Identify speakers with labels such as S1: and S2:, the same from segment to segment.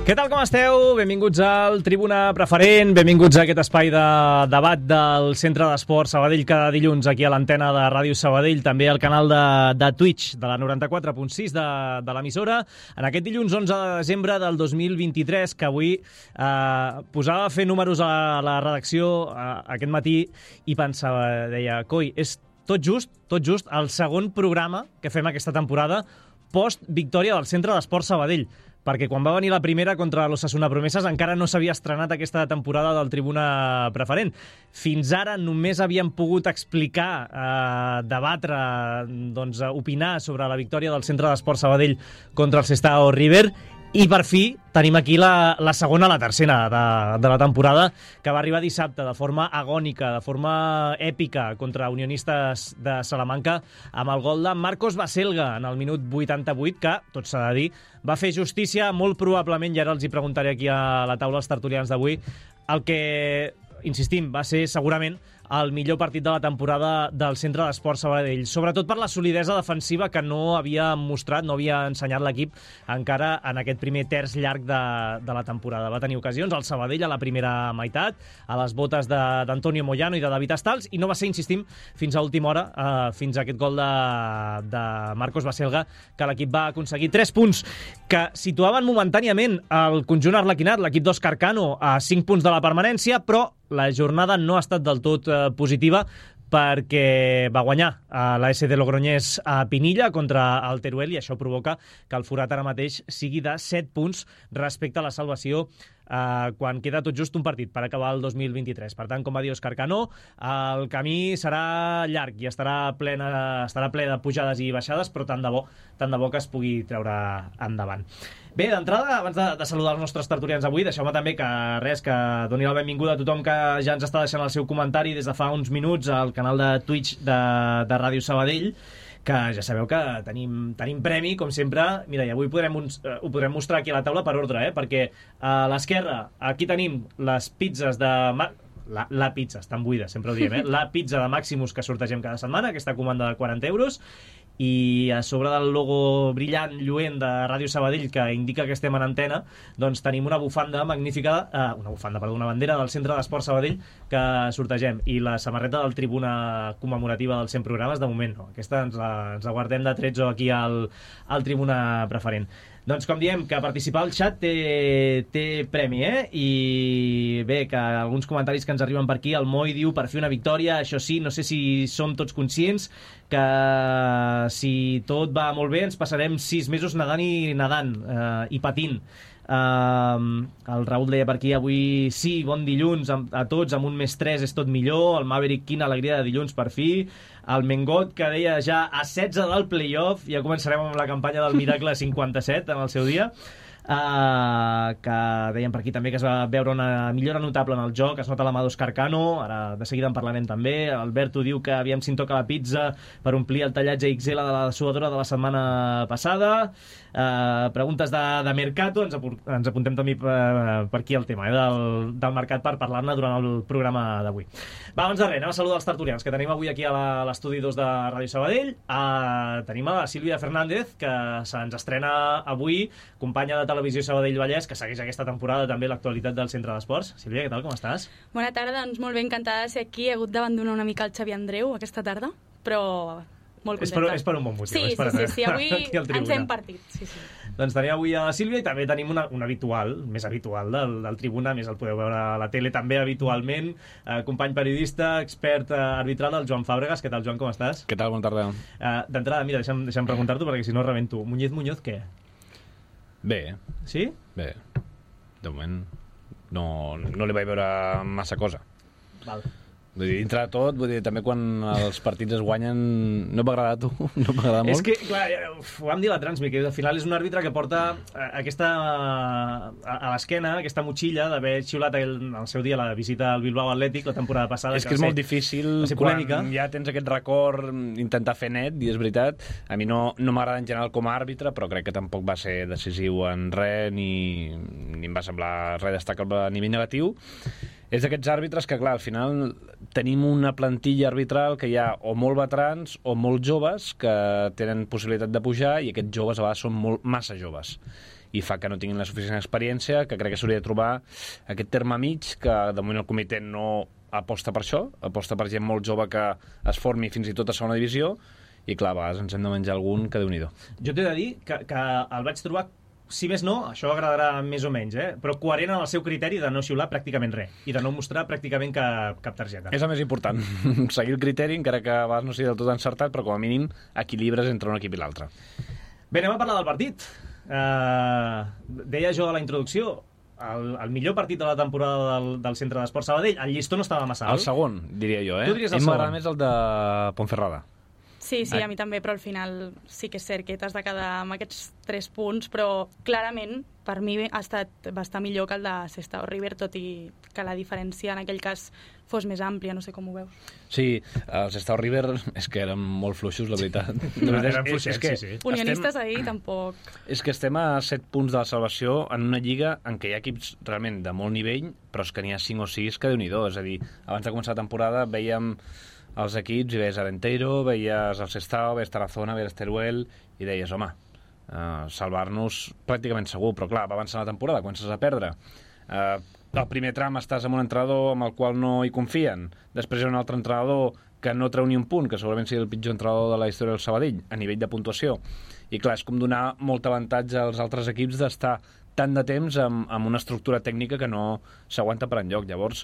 S1: Què tal, com esteu? Benvinguts al Tribuna Preferent, benvinguts a aquest espai de debat del Centre d'Esports Sabadell cada dilluns aquí a l'antena de Ràdio Sabadell, també al canal de Twitch de la 94.6 de l'emissora. En aquest dilluns 11 de desembre del 2023, que avui posava a fer números a la redacció aquest matí i pensava, deia, coi, és tot just el segon programa que fem aquesta temporada post-victòria del Centre d'Esports Sabadell, perquè quan va venir la primera contra l'Osasuna Promeses encara no s'havia estrenat aquesta temporada del Tribuna Preferent. Fins ara només havíem pogut explicar, debatre, doncs, opinar sobre la victòria del Centre d'Esports Sabadell contra el Sestao River, i per fi tenim aquí la segona, la tercera de la temporada, que va arribar dissabte de forma agònica, de forma èpica contra Unionistes de Salamanca, amb el gol de Marcos Baselga en el minut 88, que, tot s'ha de dir, va fer justícia molt probablement, i ara els hi preguntaré aquí a la taula els tertulians d'avui, el que, insistim, va ser segurament el millor partit de la temporada del Centre d'Esports Sabadell, sobretot per la solidesa defensiva que no havia mostrat, no havia ensenyat l'equip encara en aquest primer terç llarg de la temporada. Va tenir ocasions al Sabadell a la primera meitat, a les botes d'Antonio Moyano i de David Astals, i no va ser, insistim, fins a última hora, fins a aquest gol de Marcos Baselga, que l'equip va aconseguir 3 punts que situaven momentàniament el conjunt arlequinat, l'equip d'Òscar Cano, a 5 punts de la permanència, però la jornada no ha estat del tot positiva, perquè va guanyar la SD Logroñés a Pinilla contra el Teruel, i això provoca que el forat ara mateix sigui de 7 punts respecte a la salvació quan queda tot just un partit per acabar el 2023. Per tant, com va dir Òscar Cano, el camí serà llarg i estarà ple de pujades i baixades, però tant de bo que es pugui treure endavant. Bé, d'entrada, abans de saludar els nostres tertulians avui, deixeu-me també que doni la benvinguda a tothom que ja ens està deixant el seu comentari des de fa uns minuts al canal de Twitch de Ràdio Sabadell, que ja sabeu que tenim premi, com sempre. Mira, i avui ho podrem mostrar aquí a la taula per ordre, perquè a l'esquerra aquí tenim les pizzas de... La pizza, estan buides, sempre ho diem, la pizza de Maximus que sortegem cada setmana, aquesta comanda de 40 euros, i a sobre del logo brillant, lluent de Ràdio Sabadell, que indica que estem en antena, doncs tenim una bufanda magnífica, una bandera del Centre d'Esports Sabadell que sortegem, i la samarreta del Tribuna commemorativa dels 100 programes, de moment no. Aquesta ens la guardem de tretzo aquí al Tribuna Preferent. Doncs com diem, que participar al xat té premi, I bé, que alguns comentaris que ens arriben per aquí, el Moi diu, per fer una victòria, això sí, no sé si som tots conscients que si tot va molt bé ens passarem 6 mesos nedant i patint. El Raül deia per aquí, avui sí, bon dilluns a tots, amb un +3 és tot millor. El Maverick, quina alegria de dilluns per fi. El Mengot, que deia ja a 16 del playoff, ja començarem amb la campanya del Miracle 57 en el seu dia. Que deien per aquí també que es va veure una millora notable en el joc, es nota la mà d'Òscar Cano, ara de seguida en parlarem també. Alberto diu que aviam si en toca la pizza per omplir el tallatge XL de la suadora de la setmana passada. Preguntes de Mercato, ens apuntem també per aquí el tema del mercat per parlar-ne durant el programa d'avui. Va, abans de res, anem a saludar els tertulians que tenim avui aquí a l'estudi 2 de Ràdio Sabadell. Tenim a la Sílvia Fernández, que se'ns estrena avui, companya de Televisió Sabadell Vallès, que segueix aquesta temporada també l'actualitat del Centre d'Esports. Sílvia, què tal, com estàs?
S2: Bona tarda, doncs molt bé, encantada de ser aquí. He hagut d'abandonar una mica el Xavi Andreu aquesta tarda, però molt contenta.
S1: És per un bon motiu.
S2: Sí, avui ens hem partit. Sí.
S1: Doncs tenim avui a la Sílvia i també tenim una habitual, més habitual del Tribuna, més el podeu veure a la tele també habitualment, company periodista, expert arbitral, el Joan Fàbregas. Què tal, Joan, com estàs?
S3: Què tal, bona tarda.
S1: D'entrada, mira, deixa'm preguntar-t'ho perquè si no rebento. Muñoz, què?
S3: Bé.
S1: Sí?
S3: Bé. De moment no li vaig veure massa cosa.
S1: Val.
S3: Vull dir, dintre de tot, també quan els partits es guanyen no m'agrada a tu, no m'agrada molt.
S1: És que, clar, ho vam dir a la Transmi, que al final és un àrbitre que porta aquesta a l'esquena, aquesta motxilla d'haver xiulat el seu dia la visita al Bilbao Atlètic la temporada passada.
S3: És que és molt difícil quan ja tens aquest record intentar fer net, i és veritat, a mi no m'agrada en general com a àrbitre, però crec que tampoc va ser decisiu en res, ni em va semblar res destacable a nivell negatiu. És d'aquests àrbitres que, clar, al final tenim una plantilla arbitral que hi ha o molt veterans o molt joves que tenen possibilitat de pujar, i aquests joves a vegades són massa joves. i fa que no tinguin la suficient experiència, que crec que s'hauria de trobar aquest terme mig, que de moment el comitè no aposta per això, aposta per gent molt jove que es formi fins i tot a segona divisió, i clar, a vegades ens hem de menjar algun que Déu-n'hi-do.
S1: Jo t'he de dir que el vaig trobar, si més no, això agradarà més o menys, però coherent en el seu criteri de no xiular pràcticament res i de no mostrar pràcticament cap targeta.
S3: És el més important, seguir el criteri, encara que a vegades no sigui del tot encertat, però com a mínim equilibres entre un equip i l'altre.
S1: Bé, anem a parlar del partit. Deia jo a la introducció, el millor partit de la temporada del Centre d'Esport Sabadell. El llistó no estava massa alt.
S3: El segon, diria jo.
S1: Tu diries el segon?
S3: M'agrada més el de Ponferrada.
S2: Sí, a mi també, però al final sí que és cert que t'has de quedar amb aquests 3 punts, però clarament per mi va estar millor que el de Sestao River, tot i que la diferència en aquell cas fos més àmplia, no sé com ho veus.
S3: Sí, els Sestao River és que eren molt fluixos, la veritat.
S1: Eren fluixets, sí.
S2: Unionistes ahir tampoc.
S3: És que estem a 7 punts de la salvació en una lliga en què hi ha equips realment de molt nivell, però és que n'hi ha 5 o 6 que Déu-n'hi-do. És a dir, abans de començar la temporada vèiem els equips i veies Arenteiro, veies el Sestao, veies Tarazona, veies Teruel, i deies, home, salvar-nos pràcticament segur, però clar, va avançar la temporada, comences a perdre. Al primer tram estàs amb un entrenador amb el qual no hi confien, després hi ha un altre entrenador que no treu ni un punt, que segurament sigui el pitjor entrenador de la història del Sabadell, a nivell de puntuació, i clar, és com donar molt avantatge als altres equips d'estar tant de temps amb una estructura tècnica que no s'aguanta per enlloc. Llavors,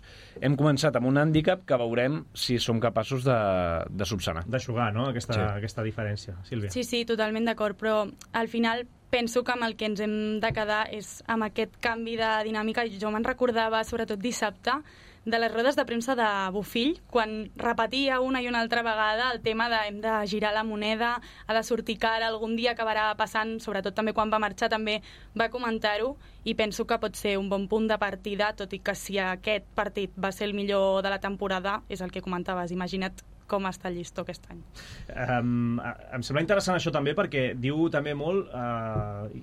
S3: hem començat amb un hàndicap que veurem si som capaços de subsanar.
S1: D'eixugar, no?, aquesta diferència. Sílvia.
S2: Sí, totalment d'acord, però al final penso que amb el que ens hem de quedar és amb aquest canvi de dinàmica. Jo me'n recordava, sobretot dissabte, de les rodes de premsa de Bofill, quan repetia una i una altra vegada el tema de hem de girar la moneda, ha de sortir cara, algun dia acabarà passant, sobretot també quan va marxar també va comentar-ho, i penso que pot ser un bon punt de partida, tot i que si aquest partit va ser el millor de la temporada, és el que comentaves, imagina't com està el llistó aquest any.
S1: Em sembla interessant això també perquè diu també molt,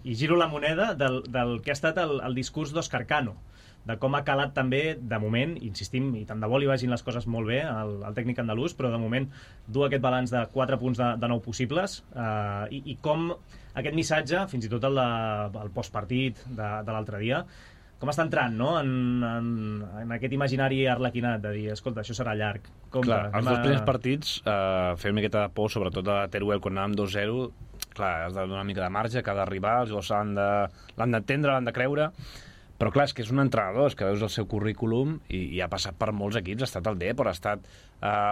S1: i giro la moneda, del que ha estat el discurs d'Òscar Cano, de com ha calat també, de moment, insistim, i tant de bo li vagin les coses molt bé al tècnic andalús, però de moment dur aquest balanç de 4 punts de 9 possibles, i com aquest missatge, fins i tot el postpartit de l'altre dia, com està entrant, no?, en aquest imaginari arlequinat de dir, escolta, això serà llarg.
S3: Clar, els dos primers partits feien una miqueta de por, sobretot a Teruel, quan anàvem 2-0, clar, has de donar una mica de marge, cada rival, els jugadors l'han d'entendre, l'han de creure, però clar, és que és un entrenador, és que veus el seu currículum i ha passat per molts equips, ha estat el Depor, ha estat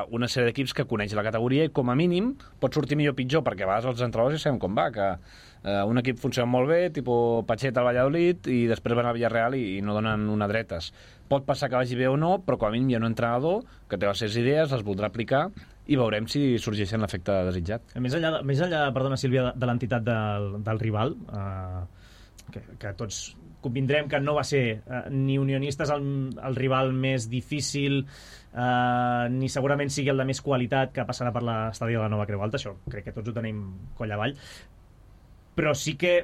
S3: una sèrie d'equips que coneix la categoria i com a mínim pot sortir millor o pitjor, perquè a vegades els entrenadors ja sabem com va, que un equip funciona molt bé, tipus Pacheta al Valladolid, i després van al Villarreal i no donen una dretes. Pot passar que vagi bé o no, però com a mínim hi ha un entrenador que té les seves idees, les voldrà aplicar, i veurem si sorgeixen l'efecte desitjat.
S1: Més enllà, perdona Sílvia, de l'entitat del rival, que tots convindrem que no va ser ni Unionistes el rival més difícil, ni segurament sigui el de més qualitat que passarà per l'estadi de la Nova Creu Alta, això crec que tots ho tenim coll avall, però sí que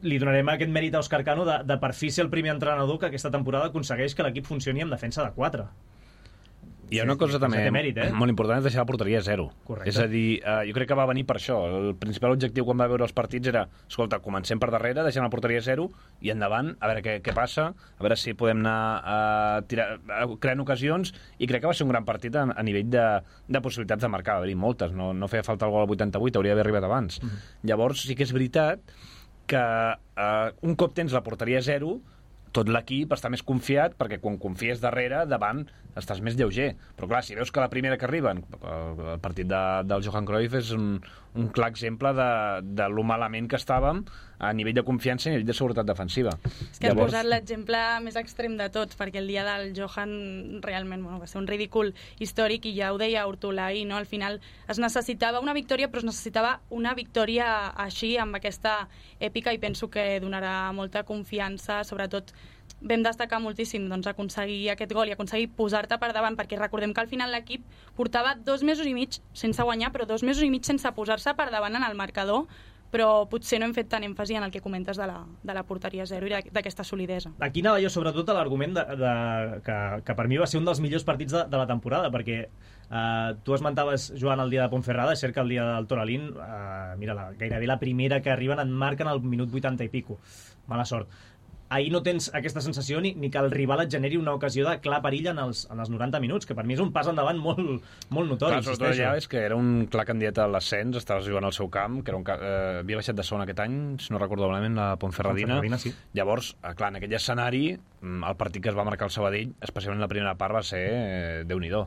S1: li donarem aquest mèrit a Òscar Cano de per fi ser el primer entrenador que aquesta temporada aconsegueix que l'equip funcioni amb defensa de 4.
S3: Hi ha una cosa també
S1: mèrit,
S3: molt important, és deixar la porteria a 0.
S1: Correcte.
S3: És a dir, jo crec que va venir per això. El principal objectiu quan va veure els partits era, escolta, comencem per darrere, deixem la porteria a 0 i endavant, a veure què passa, a veure si podem anar creant ocasions, i crec que va ser un gran partit a nivell de possibilitats de marcar. Va haver-hi moltes, no feia falta el gol al 88, hauria d'haver arribat abans. Llavors sí que és veritat que un cop tens la porteria a 0, tot l'equip està més confiat, perquè quan confies darrere, davant, estàs més lleuger. Però clar, si veus que la primera que arriben, el partit del Johan Cruyff és un clar exemple de lo malament que estàvem a nivell de confiança i a nivell de seguretat defensiva.
S2: És que has posat l'exemple més extrem de tots, perquè el dia del Johan realment va ser un ridícul històric, i ja ho deia Hortolà ahir, no? Al final es necessitava una victòria, però es necessitava una victòria així, amb aquesta èpica, i penso que donarà molta confiança. Sobretot vam destacar moltíssim aconseguir aquest gol i aconseguir posar-te per davant, perquè recordem que al final l'equip portava 2 mesos i mig sense guanyar, però 2 mesos i mig sense posar-se per davant en el marcador, però potser no hem fet tant èmfasi en el que comentes de la porteria zero i d'aquesta solidesa.
S1: Aquí anava jo sobretot a l'argument que per mi va ser un dels millors partits de la temporada, perquè tu esmentaves, Joan, el dia de Ponferrada, és cert que el dia del Toralín, mira, gairebé la primera que arriben en marquen al minut 80 i pico. Mala sort. Ahir no tens aquesta sensació ni que el rival et generi una ocasió de clar perill en els 90 minuts, que per mi és un pas endavant molt notori.
S3: Clar, sobretot allà és que era un clar candidat a l'ascens, estaves jugant al seu camp, que havia baixat de segon aquest any, si no recordo malament, la Ponferradina.
S1: Sí.
S3: Llavors, clar, en aquell escenari, el partit que es va marcar el Sabadell, especialment la primera part, va ser Déu-n'hi-do.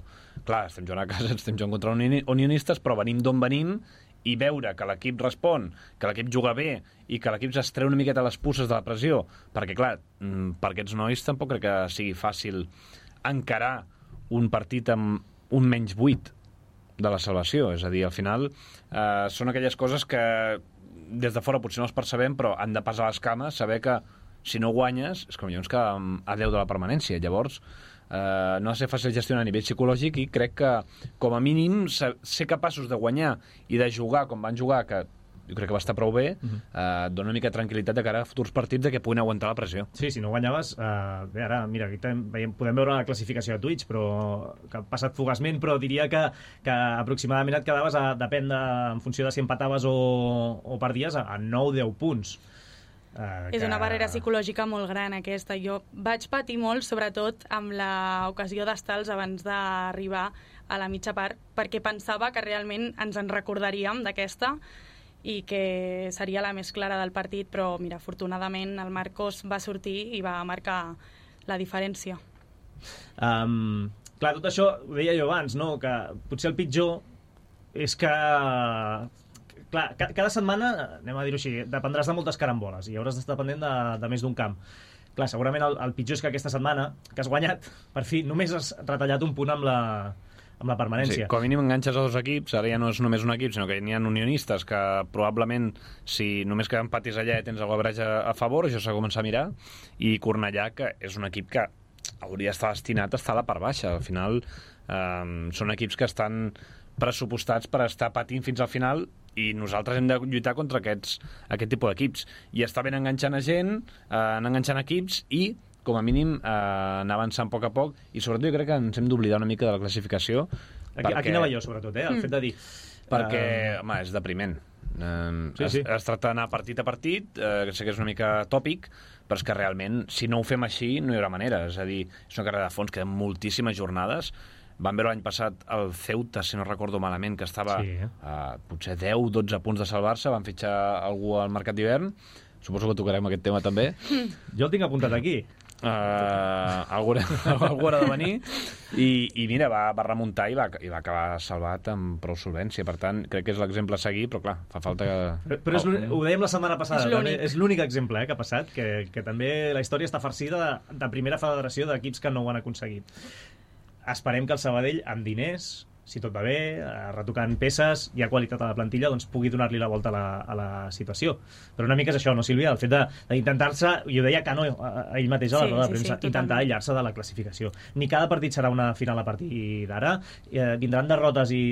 S3: Clar, estem jugant a casa, estem jugant contra unionistes, però venim d'on venim, i veure que l'equip respon, que l'equip juga bé i que l'equip s'estreu una miqueta les puces de la pressió, perquè clar, per aquests nois tampoc crec que sigui fàcil encarar un partit amb un menys 8 de la salvació, és a dir, al final són aquelles coses que des de fora potser no els percebem, però han de passar les cames, saber que si no guanyes és com millor que a 10 de la permanència. Llavors no ha de ser fàcil gestionar a nivell psicològic i crec que com a mínim ser capaços de guanyar i de jugar com van jugar, que jo crec que va estar prou bé, dona una mica de tranquil·litat de cara a futurs partits de que puguin aguantar la pressió.
S1: Sí, si no guanyaves, bé, ara, mira, aquí podem veure la classificació de Twitch, però que ha passat fugaçment, però diria que aproximadament et quedaves, depèn en funció de si empataves o perdies, a 9-10 punts.
S2: És una barrera psicològica molt gran aquesta. Jo vaig patir molt, sobretot amb l'ocasió d'Estals abans d'arribar a la mitja part, perquè pensava que realment ens en recordaríem d'aquesta i que seria la més clara del partit, però mira, afortunadament el Marcos va sortir i va marcar la diferència.
S1: Clar, tot això ho deia jo abans, no? Que potser el pitjor és que clar, cada setmana, anem a dir-ho així, dependràs de moltes caramboles i hauràs d'estar pendent de més d'un camp. Clar, segurament el pitjor és que aquesta setmana, que has guanyat, per fi, només has retallat un punt amb la permanència.
S3: Sí, com a mínim enganxes a dos equips, ara ja no és només un equip, sinó que n'hi ha unionistes que probablement, si només que empatis allà tens el goverage a favor, això s'ha de començar a mirar, i Cornellà, que és un equip que hauria d'estar destinat a estar a la part baixa. Al final, són equips que estan pressupostats per estar patint fins al final i nosaltres hem de lluitar contra aquest tipus d'equips. I està ben enganxant a gent, anar enganxant equips i, com a mínim, anar avançant a poc, i sobretot jo crec que ens hem d'oblidar una mica de la classificació.
S1: Aquí anava jo, sobretot, el fet de dir...
S3: Perquè, home, és depriment. Sí. Es tracta d'anar partit a partit, que sé que és una mica tòpic, però és que realment, si no ho fem així, no hi haurà manera. És a dir, és una carrera de fons, queden moltíssimes jornades. Vam veure l'any passat el Ceuta, si no recordo malament, que estava potser 10-12 punts de salvar-se, van fitxar algú al mercat d'hivern. Suposo que tocarem aquest tema també.
S1: Jo el tinc apuntat aquí.
S3: Algú haurà de venir i mira, va remuntar i va acabar salvat amb prou solvència. Per tant, crec que és l'exemple a seguir, però clar, fa falta que...
S1: Però ho dèiem la setmana passada, és l'únic exemple que ha passat, que també la història està farcida de primera federació d'equips que no ho han aconseguit. Esperem que el Sabadell, amb diners, si tot va bé, retocant peces, hi ha qualitat a la plantilla, doncs pugui donar-li la volta a la situació. Però una mica és això, no, Sílvia? El fet d'intentar-se, i ho deia Cano ell mateix a la roda de premsa, intentar aïllar-se de la classificació. Ni cada partit serà una final a partir d'ara, vindran derrotes i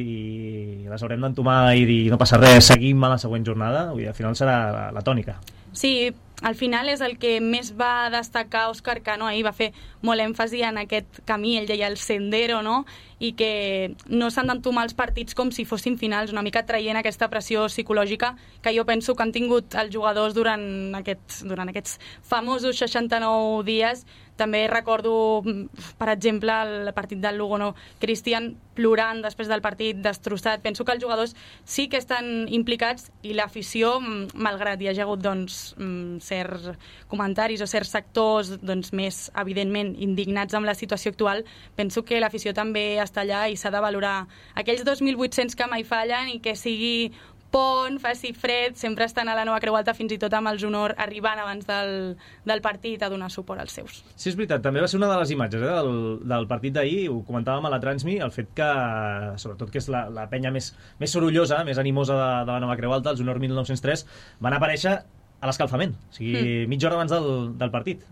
S1: les haurem d'entomar i dir no passa res, seguim a la següent jornada, al final serà la tònica.
S2: Sí, al final és el que més va destacar Òscar Cano, ahir va fer molt èmfasi en aquest camí, ell deia el sendero, no? I que no s'han d'entomar els partits com si fossin finals, una mica traient aquesta pressió psicològica que jo penso que han tingut els jugadors durant aquests famosos 69 dies. També recordo, per exemple, el partit del Lugo, no? Cristian plorant després del partit, destrossat. Penso que els jugadors sí que estan implicats i l'afició, malgrat hi hagi hagut certs comentaris o certs sectors més, evidentment, indignats amb la situació actual, penso que l'afició també està allà i s'ha de valorar aquells 2.800 que mai fallen i que sigui pont, faci fred, sempre estan a la Nova Creu Alta, fins i tot amb els honors arribant abans del partit a donar suport als seus.
S1: Sí, és veritat, també va ser una de les imatges del partit d'ahir, ho comentàvem a la Transmi, el fet que, sobretot que és la penya més sorollosa, més animosa de la Nova Creu Alta, els honors 1903, van aparèixer a l'escalfament, o sigui, mitja hora abans del partit,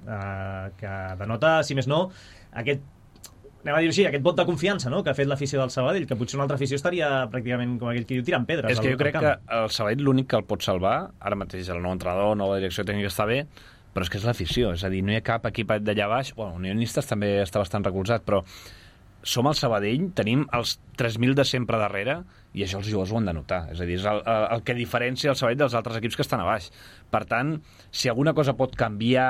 S1: que denota, si més no, aquest anem a dir-ho així, aquest vot de confiança, no?, que ha fet l'afició del Sabadell, que potser una altra afició estaria pràcticament, com aquell que diu, tirant pedres.
S3: És que jo crec que el Sabadell l'únic que el pot salvar, ara mateix el nou entrenador, nova direcció tècnica està bé, però és que és l'afició, és a dir, no hi ha cap equip d'allà baix, bueno, Unionistes també està bastant recolzat, però som el Sabadell, tenim els 3.000 de sempre darrere, i això els jugadors ho han de notar. És a dir, és el que diferencia el Sabadell dels altres equips que estan a baix. Per tant, si alguna cosa pot canviar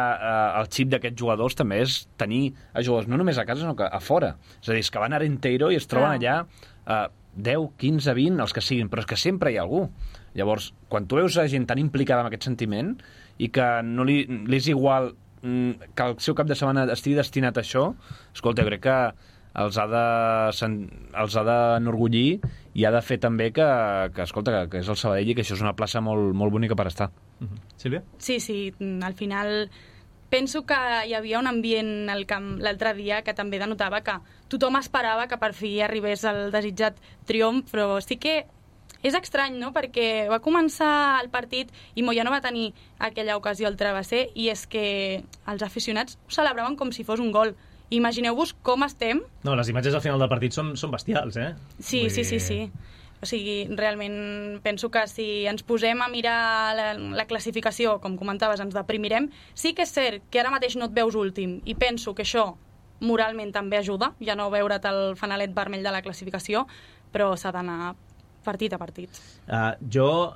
S3: el xip d'aquests jugadors, també és tenir a jugadors no només a casa, sinó que a fora. És a dir, és que van a Arenteiro i es troben allà 10, 15, 20, els que siguin, però és que sempre hi ha algú. Llavors, quan tu veus a gent tan implicada amb aquest sentiment i que no li és igual que el seu cap de setmana estigui destinat a això, escolta, jo crec que els ha d'enorgullir i ha de fer també que escolta, que és el Sabadell i que això és una plaça molt, molt bonica per estar.
S1: Sílvia?
S2: Sí, al final penso que hi havia un ambient al camp l'altre dia que també denotava que tothom esperava que per fi arribés el desitjat triomf, però sí que és estrany, no?, perquè va començar el partit i Moyà no va tenir aquella ocasió al travesser i és que els aficionats ho celebraven com si fos un gol. Imagineu-vos com estem.
S1: No, les imatges al final del partit són bestials, eh?
S2: Sí. O sigui, realment penso que si ens posem a mirar la classificació, com comentaves, ens deprimirem. Sí que és cert que ara mateix no et veus últim i penso que això moralment també ajuda, ja no veure't el fanalet vermell de la classificació, però s'ha d'anar partit a partit.
S1: Jo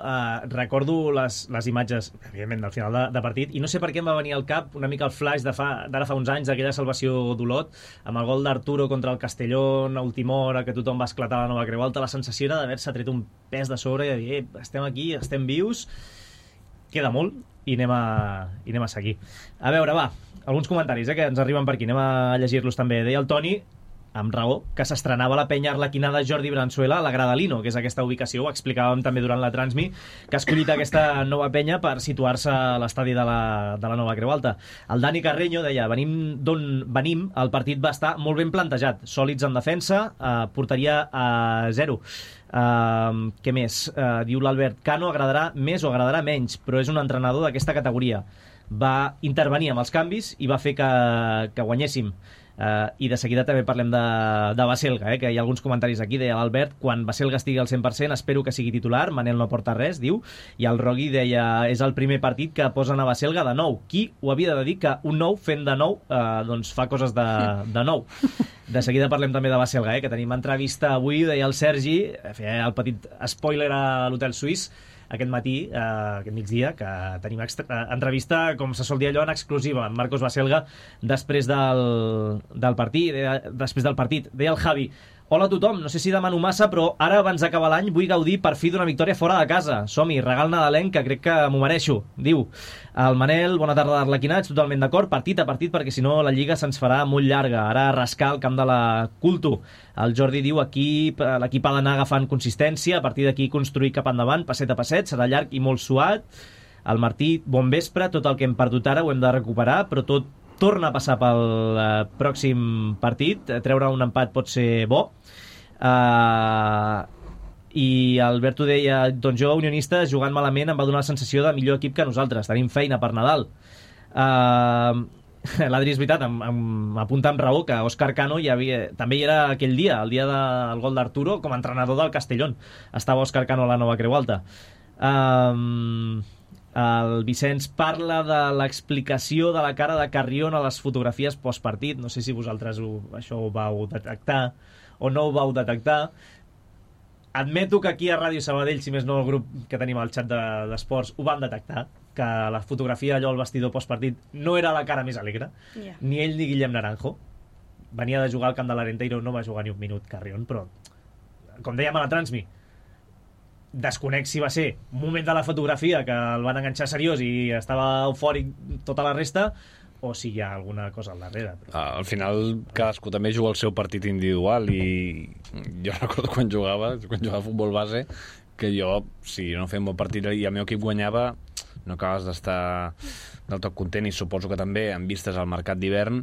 S1: recordo les imatges, evidentment, del final de partit, i no sé per què em va venir al cap una mica el flash d'ara fa uns anys, d'aquella salvació d'Olot, amb el gol d'Arturo contra el Castellón a última hora, que tothom va esclatar a la Nova Creu Alta. La sensació era d'haver-se tret un pes de sobre i de dir, estem aquí, estem vius, queda molt, i anem a seguir. A veure, va, alguns comentaris que ens arriben per aquí, anem a llegir-los també. Deia el Toni, amb raó, que s'estrenava la penya arlequinada Jordi Branzuela a la Gradalino, que és aquesta ubicació, ho explicàvem també durant la transmi, que ha escollit aquesta nova penya per situar-se a l'estadi de la Nova Creu Alta. El Dani Carreño deia, d'on venim, el partit va estar molt ben plantejat, sòlids en defensa, porteria a 0. Què més? Diu l'Albert, Cano agradarà més o agradarà menys, però és un entrenador d'aquesta categoria. Va intervenir amb els canvis i va fer que guanyéssim. I de seguida també parlem de Baselga, que hi ha alguns comentaris aquí. Deia l'Albert, quan Baselga estigui al 100% espero que sigui titular, Manel no porta res, diu, i el Rogui deia, és el primer partit que posen a Baselga de nou. Qui ho havia de dir que un nou fent de nou doncs fa coses de nou. De seguida parlem també de Baselga, que tenim entrevista avui, deia el Sergi, feia el petit spoiler a l'Hotel Suís aquest matí, aquest migdia, que tenim entrevista, com se sol dir allò, en exclusiva, amb Marcos Baselga, després del partit. Deia el Javi, hola a tothom, no sé si demano massa, però ara abans d'acabar l'any vull gaudir per fi d'una victòria fora de casa. Som-hi, regal nadalenc, que crec que m'ho mereixo, diu. El Manel, bona tarda d'Arlequinats, totalment d'acord, partit a partit, perquè si no la Lliga se'ns farà molt llarga. Ara a rascar el camp de la Culto. El Jordi diu, l'equip ha d'anar agafant consistència, a partir d'aquí construir cap endavant, passet a passet, serà llarg i molt suat. El Martí, bon vespre, tot el que hem perdut ara ho hem de recuperar, però tot torna a passar pel pròxim partit. Treure un empat pot ser bo. I Alberto deia, doncs jo, unionista, jugant malament em va donar la sensació de millor equip que nosaltres, tenim feina per Nadal. L'Adri, és veritat, m'apunta amb raó que Òscar Cano també hi era aquell dia, el dia del gol d'Arturo, com a entrenador del Castellón. Estava Òscar Cano a la Nova Creu Alta. El Vicenç parla de l'explicació de la cara de Carrion a les fotografies postpartit. No sé si vosaltres això ho vau detectar o no ho vau detectar. Admeto que aquí a Ràdio Sabadell, si més no el grup que tenim al xat d'esports, ho vam detectar, que la fotografia allò al vestidor postpartit no era la cara més alegre, ni ell ni Guillem Naranjo. Venia de jugar al camp de l'Arenteiro, no va jugar ni un minut Carrion, però, com dèiem a la transmi, desconec si va ser un moment de la fotografia que el van enganxar seriós i estava eufòric tota la resta, o si hi ha alguna cosa al darrere.
S3: Al final cadascú també juga el seu partit individual i jo recordo quan jugava a futbol base, que jo, si no feia un bon partit i el meu equip guanyava, no acabes d'estar del tot content, i suposo que també en vistes al mercat d'hivern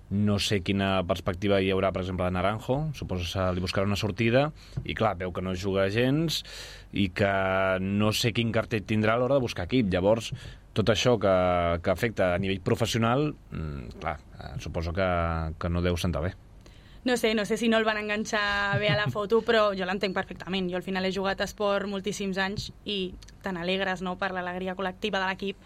S3: no sé quina perspectiva hi haurà, per exemple, de Naranjo. Suposo que li buscarà una sortida i clar, veu que no juga gens i que no sé quin cartell tindrà a l'hora de buscar equip. Llavors, tot això que afecta a nivell professional, clar, suposo que no deu sentar bé.
S2: No sé si no el van enganxar bé a la foto, però jo l'entenc perfectament. Jo al final he jugat a esport moltíssims anys i te n'alegres, no?, per l'alegria col·lectiva de l'equip,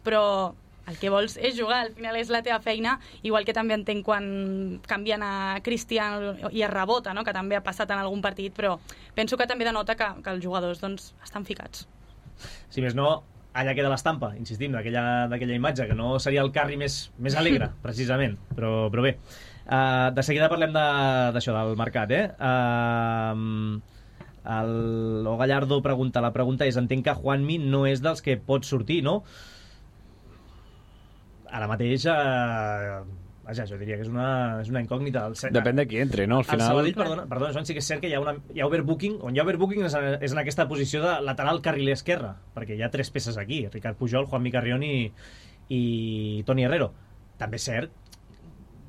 S2: però el que vols és jugar, al final és la teva feina, igual que també entenc quan canvien a Cristiano i es rebota, no?, que també ha passat en algun partit, però penso que també denota que els jugadors doncs, estan ficats.
S1: Si més no, allà queda l'estampa, insistim, d'aquella imatge, que no seria el Carri més alegre, precisament, però bé. De seguida parlem d'això, del mercat, el Gallardo pregunta, la pregunta és, entenc que Juanmi no és dels que pot sortir, no? Ara mateix, vaja, jo diria que és una incògnita.
S3: Depèn de qui entre, no? Al final...
S1: Sabadell, perdona, Joan, sí que és cert que hi ha overbooking. On hi ha overbooking és en aquesta posició de lateral carriler esquerre, perquè hi ha 3 peces aquí, Ricard Pujol, Juanmi Carrión i Toni Herrero. També és cert,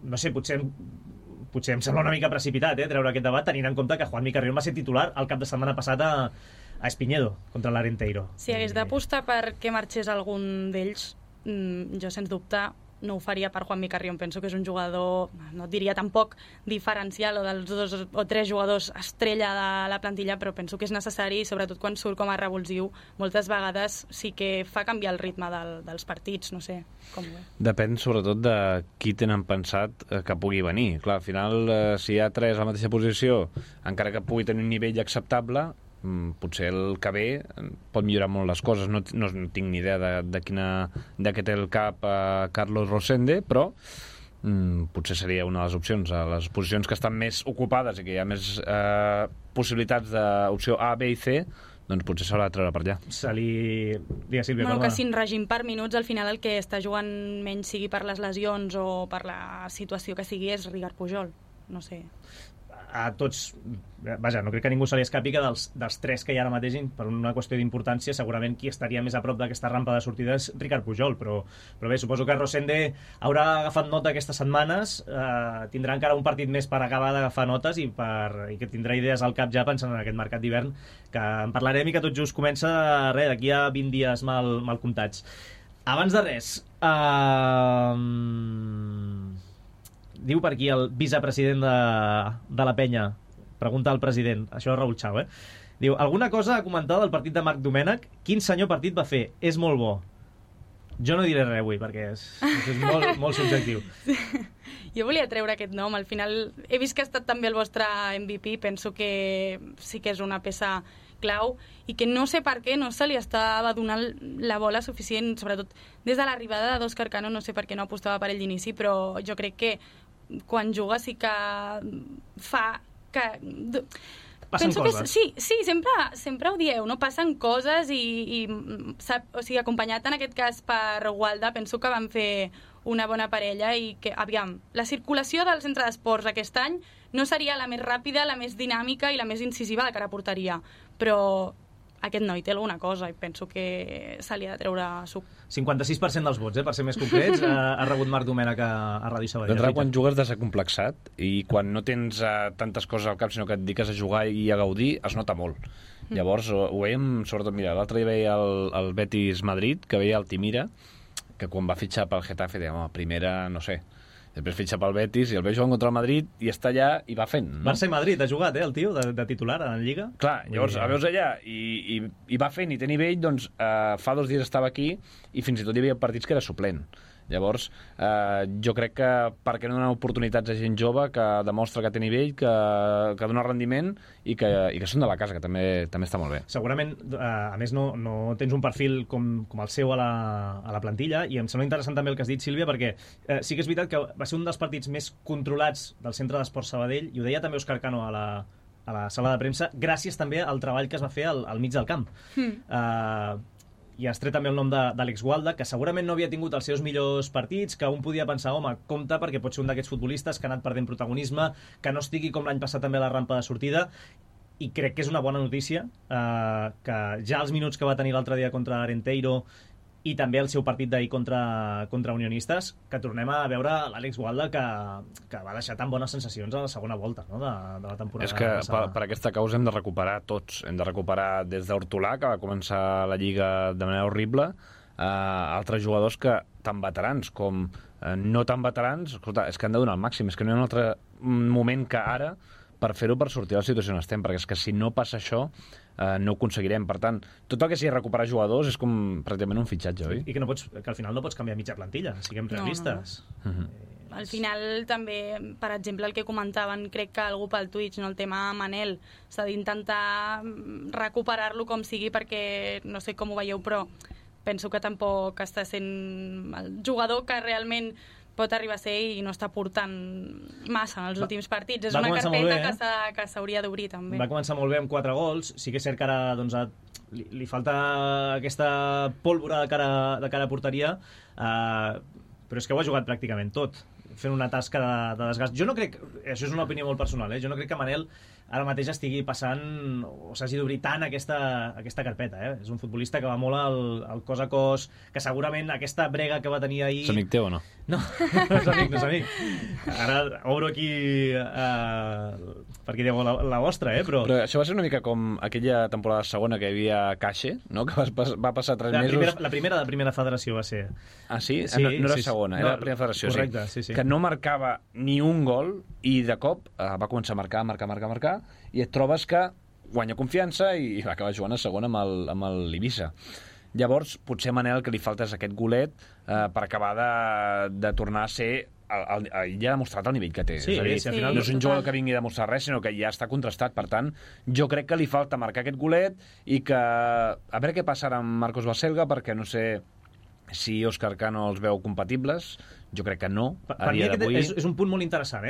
S1: no sé, potser em sembla una mica precipitat treure aquest debat, tenint en compte que Juanmi Carrión va ser titular el cap de setmana passat a Espiñedo, contra l'Arenteiro.
S2: Si hagués d'apostar perquè marxés algun d'ells, jo sens dubte no ho faria per Juanmi Carrión. Penso que és un jugador, no et diria tampoc diferencial o dels 2 o 3 jugadors estrella de la plantilla, però penso que és necessari, sobretot quan surt com a revulsiu, moltes vegades sí que fa canviar el ritme dels partits, no sé com ho és.
S3: Depèn sobretot de qui tenen pensat que pugui venir. Clar, al final, si hi ha 3 a la mateixa posició, encara que pugui tenir un nivell acceptable, potser el que ve pot millorar molt les coses. No tinc ni idea de què té el cap Carlos Rosende, però potser seria una de les opcions. A les posicions que estan més ocupades i que hi ha més possibilitats d'opció A, B i C, doncs potser s'haurà de treure per allà.
S2: Digues, Sílvia, que sin règim per minuts, al final el que està jugant menys, sigui per les lesions o per la situació que sigui, és Ricard Pujol. No sé.
S1: A tots, vaja, no crec que ningú se li escapi que dels 3 que hi ha ara mateix, per una qüestió d'importància, segurament qui estaria més a prop d'aquesta rampa de sortida és Ricard Pujol, però bé, suposo que Rosende haurà agafat nota aquestes setmanes, tindrà encara un partit més per acabar d'agafar notes i que tindrà idees al cap ja pensant en aquest mercat d'hivern, que en parlarem i que tot just comença d'aquí a 20 dies mal comptats. Abans de res, diu per aquí el vicepresident de la penya, pregunta al president, això és Raül Chau, diu, alguna cosa a comentar del partit de Marc Domènech? Quin senyor partit va fer? És molt bo. Jo no diré res avui, perquè és molt, molt subjectiu.
S2: Jo volia treure aquest nom, al final he vist que ha estat també el vostre MVP, penso que sí que és una peça clau i que no sé per què no se li estava donant la bola suficient, sobretot des de l'arribada d'Òscar Cano, no sé per què no apostava per ell d'inici, però jo crec que quan juga sí que fa que...
S1: Passen coses.
S2: Sí, sempre ho dieu, no? Passen coses i o sigui, acompanyat en aquest cas per Gualda, penso que van fer una bona parella i que, aviam, la circulació del centre d'esports aquest any no seria la més ràpida, la més dinàmica i la més incisiva de cara a porteria, però aquest noi té alguna cosa i penso que se li ha de treure suc.
S1: 56% dels vots, per ser més concrets, ha rebut Marc Domènech a Ràdio Sabadell.
S3: D'entrada, quan jugues desacomplexat i quan no tens tantes coses al cap, sinó que et dediques a jugar i a gaudir, es nota molt. Llavors, ho veiem, sobretot, mira, l'altre dia veia el Betis Madrid, que veia el Timira, que quan va fitxar pel Getafe, deia, home, primera, no sé, després fitxa pel Betis i el veig jugant contra el Madrid i està allà i va fent, no?
S1: Barça i Madrid ha jugat, el tio, de titular en Lliga.
S3: Clar, llavors el veus allà i va fent i té nivell, doncs fa 2 dies estava aquí i fins i tot hi havia partits que era suplent. Llavors, jo crec que per què no donar oportunitats a gent jove que demostra que té nivell, que dona rendiment i que són de la casa, que també està molt bé.
S1: Segurament, a més, no tens un perfil com el seu a la plantilla i em sembla interessant també el que has dit, Sílvia, perquè sí que és veritat que va ser un dels partits més controlats del Centre d'Esports Sabadell i ho deia també Òscar Cano a la sala de premsa, gràcies també al treball que es va fer al mig del camp. I has tret també el nom d'Àlex Gualda, que segurament no havia tingut els seus millors partits, que un podia pensar, home, compte, perquè pot ser un d'aquests futbolistes que ha anat perdent protagonisme, que no estigui com l'any passat també a la rampa de sortida, i crec que és una bona notícia que ja els minuts que va tenir l'altre dia contra Arenteiro i també el seu partit d'ahir contra Unionistes, que tornem a veure l'Àlex Gualda que va deixar tan bones sensacions a la segona volta, no? de la temporada.
S3: És que per aquesta causa hem de recuperar tots. Hem de recuperar des d'Hortolà, que va començar la Lliga de manera horrible, a altres jugadors que tan veterans com no tan veterans, escolta, és que han de donar el màxim, és que no hi ha una altra moment que ara per fer-ho, per sortir de la situació on estem, perquè és que si no passa això no ho aconseguirem. Per tant, tot el que sigui recuperar jugadors és com pràcticament un fitxatge, oi?
S1: I que al final no pots canviar mitja plantilla, siguem realistes.
S2: No. Al final també, per exemple, el que comentaven, crec que algú pel Twitch, no, el tema Manel, s'ha d'intentar recuperar-lo com sigui, perquè no sé com ho veieu, però penso que tampoc està sent el jugador que realment pot arribar a ser i no està portant massa en els últims partits. És una carpeta que s'hauria d'obrir també.
S1: Va començar molt bé amb 4 gols. Sí que és cert que ara doncs, li falta aquesta pólvora de cara a porteria, però és que ho ha jugat pràcticament tot, fent una tasca de desgast. Jo no crec, això és una opinió molt personal, jo no crec que Manel ara mateix estigui passant o s'hagi d'obrir tant aquesta carpeta. És un futbolista que va molt al cos a cos, que segurament aquesta brega que va tenir ahir...
S3: És amic teu o no?
S1: No, no és amic. Ara obro aquí perquè dieu la vostra, però
S3: això va ser una mica com aquella temporada segona que hi havia Caixe, no? Que va passar 3 mesos...
S1: La primera de primera federació va ser...
S3: Ah, sí? No era segona, era la primera federació.
S1: Correcte, sí.
S3: Que no marcava ni un gol i de cop va començar a marcar i et trobes que guanya confiança i va acabar jugant a segona amb l'Ibissa. Llavors, potser a Manel que li falta és aquest golet per acabar de tornar a ser... ja ha demostrat el nivell que té.
S1: Sí,
S3: és a dir, no és un jugador que vingui a demostrar res, sinó que ja està contrastat. Per tant, jo crec que li falta marcar aquest golet i que... A veure què passarà amb Marcos Baselga, perquè no sé si Òscar Cano els veu compatibles. Jo crec que no.
S1: Per mi és un punt molt interessant,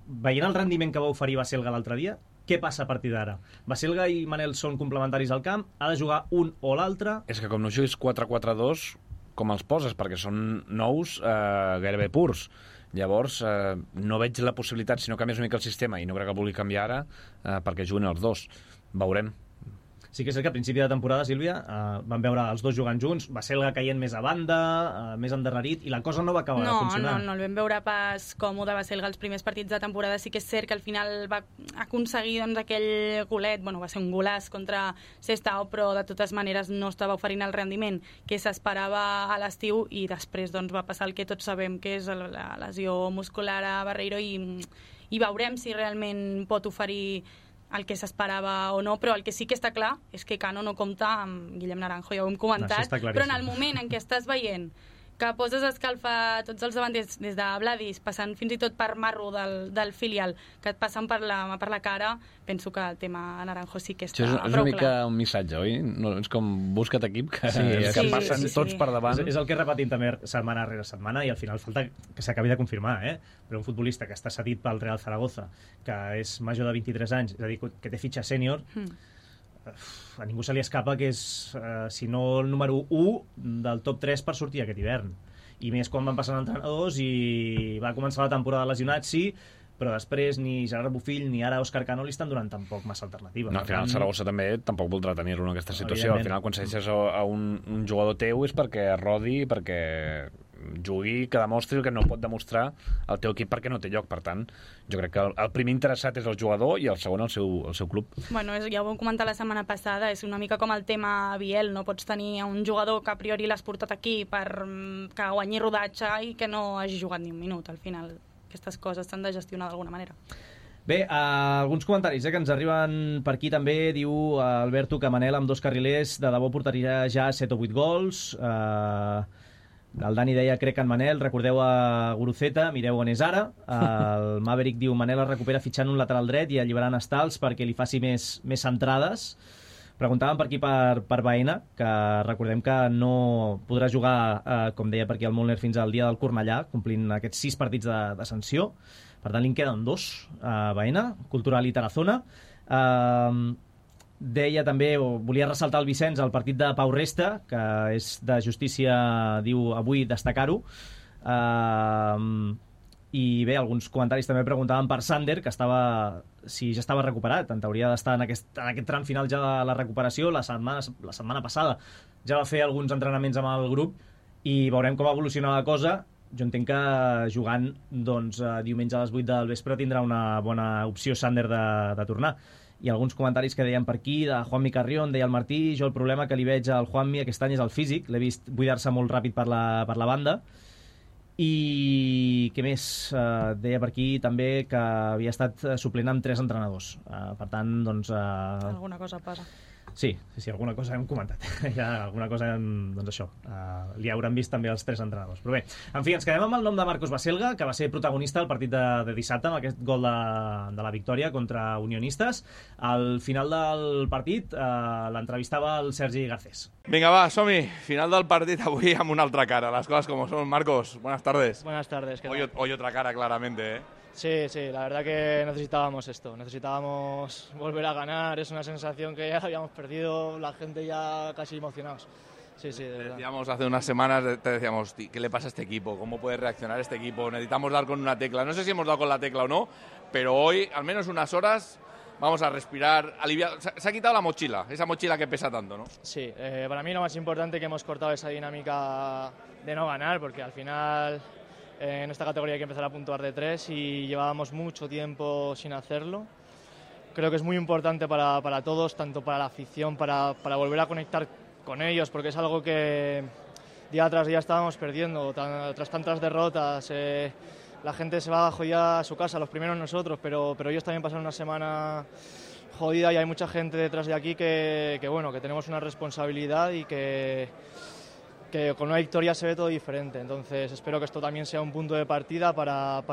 S1: veient el rendiment que va oferir Baselga l'altre dia, què passa a partir d'ara? Baselga i Manel són complementaris al camp, ha de jugar un o l'altre...
S3: És que com no juguis 4-4-2, com els poses? Perquè són nous gairebé purs. Llavors, no veig la possibilitat, si no canvies una mica el sistema, i no crec que vulgui canviar ara, perquè juguen els dos. Veurem.
S1: Sí que és cert que a principi de temporada, Sílvia, vam veure els dos jugant junts, Baselga caient més a banda, més endarrerit, i la cosa no va acabar de funcionar.
S2: No el vam veure pas còmode Baselga els primers partits de temporada. Sí que és cert que al final va aconseguir aquell golet, va ser un golaç contra Sestao, però de totes maneres no estava oferint el rendiment que s'esperava a l'estiu, i després va passar el que tots sabem, que és la lesió muscular a Barreiro, i veurem si realment pot oferir el que s'esperava o no, però el que sí que està clar és que Cano no compta amb Guillem Naranjo, ja ho hem comentat, però en el moment en què estàs veient que poses a escalfar tots els davanters des de Vladis, passant fins i tot per Marro del filial, que et passen per la cara, penso que el tema Naranjo sí que està prou clar.
S3: És una mica un missatge, oi? No, és com busca't equip, que passen tots per davant.
S1: És el que repetim també setmana rere setmana, i al final falta que s'acabi de confirmar, però un futbolista que està cedit pel Real Zaragoza, que és major de 23 anys, és a dir, que té fitxa sènior, a ningú se li escapa que és, si no el número 1 del top 3 per sortir aquest hivern. I més quan van passant entrenadors i va començar la temporada lesionat, sí, però després ni Gerard Bofill ni ara Òscar Cano li estan donant tampoc massa alternativa.
S3: No, al final Saragossa també tampoc voldrà tenir-lo en aquesta situació. Al final, quan segueixes a un jugador teu és perquè rodi, perquè jugui, que demostri el que no pot demostrar el teu equip perquè no té lloc. Per tant, jo crec que el primer interessat és el jugador i el segon el seu club.
S2: Bueno, ja ho vam comentar la setmana passada, és una mica com el tema Biel, no pots tenir un jugador que a priori l'has portat aquí per que guanyi rodatge i que no hagi jugat ni un minut. Al final aquestes coses s'han de gestionar d'alguna manera.
S1: Bé, alguns comentaris que ens arriben per aquí també. Diu Alberto que Manel amb 2 carrilers de debò portaria ja 7 o 8 gols. El Dani deia crec en Manel, recordeu a Guruceta, mireu on és ara. El Maverick diu Manel es recupera fitxant un lateral dret i alliberant Stals perquè li faci més centrades. Preguntàvem per aquí per Baena, que recordem que no podrà jugar, com deia per aquí el Molner, fins al dia del Cornellà, complint aquests 6 partits de sanció. Per tant, li en queden 2 a Baena, Cultural i Tarazona. Deia també, o volia ressaltar el Vicenç, el partit de Pau Resta, que és de justícia, diu, avui destacar-ho. I bé, alguns comentaris també preguntaven per Sander, que si ja estava recuperat. En teoria d'estar en aquest tram final ja de la recuperació. La setmana passada ja va fer alguns entrenaments amb el grup i veurem com evoluciona la cosa. Jo entenc que jugant diumenge a les 8 del vespre tindrà una bona opció Sander de tornar. I alguns comentaris que deien per aquí, de Juanmi Carrión, deia el Martí, jo el problema que li veig al Juanmi aquest any és el físic, l'he vist buidar-se molt ràpid per la banda. I què més? Deia per aquí també que havia estat suplent amb 3 entrenadors. Per tant, doncs...
S2: Alguna cosa passa.
S1: Sí, alguna cosa hem comentat. Ja, alguna cosa, doncs això, li hauran vist també els 3 entrenadors. Però bé, en fi, ens quedem amb el nom de Marcos Baselga, que va ser protagonista al partit de dissabte, amb aquest gol de la victòria contra Unionistes. Al final del partit l'entrevistava el Sergi Garcés.
S4: Vinga, va, som-hi. Final del partit avui amb una altra cara. Las cosas como son. Marcos, buenas tardes.
S5: Buenas tardes.
S4: Hoy otra cara, claramente, ¿eh?
S5: Sí, la verdad que necesitábamos esto, necesitábamos volver a ganar, es una sensación que ya habíamos perdido, la gente ya casi emocionados. Sí, de verdad.
S4: Decíamos hace unas semanas, te decíamos, ¿qué le pasa a este equipo? ¿Cómo puede reaccionar este equipo? Necesitamos dar con una tecla. No sé si hemos dado con la tecla o no, pero hoy, al menos unas horas, vamos a respirar, aliviar. Se ha quitado la mochila, esa mochila que pesa tanto, ¿no?
S5: Sí, para mí lo más importante es que hemos cortado esa dinámica de no ganar, porque al final... En esta categoría hay que empezar a puntuar de 3 y llevábamos mucho tiempo sin hacerlo. Creo que es muy importante para todos, tanto para la afición, para volver a conectar con ellos, porque es algo que día tras día estábamos perdiendo, tras tantas derrotas. La gente se va jodida a su casa, los primeros nosotros, pero ellos también pasan una semana jodida y hay mucha gente detrás de aquí que tenemos una responsabilidad y que con una victoria se ve todo diferente. Entonces espero que esto también sea un punto de partida para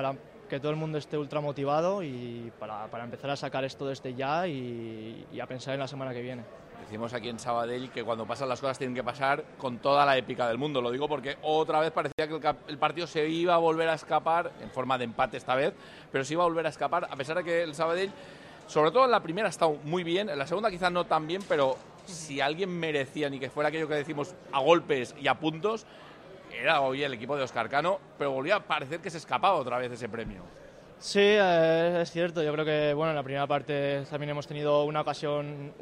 S5: que todo el mundo esté ultra motivado y para empezar a sacar esto desde ya y a pensar en la semana que viene.
S4: Decimos aquí en Sabadell que cuando pasan las cosas tienen que pasar con toda la épica del mundo. Lo digo porque otra vez parecía que el partido se iba a volver a escapar, en forma de empate esta vez, pero se iba a volver a escapar, a pesar de que el Sabadell, sobre todo en la primera, ha estado muy bien, en la segunda quizás no tan bien, pero si alguien merecía, ni que fuera aquello que decimos a golpes y a puntos, era hoy el equipo de Óscar Cano, pero volvía a parecer que se escapaba otra vez ese premio.
S5: Sí, es cierto. Yo creo que en la primera parte también hemos tenido una ocasión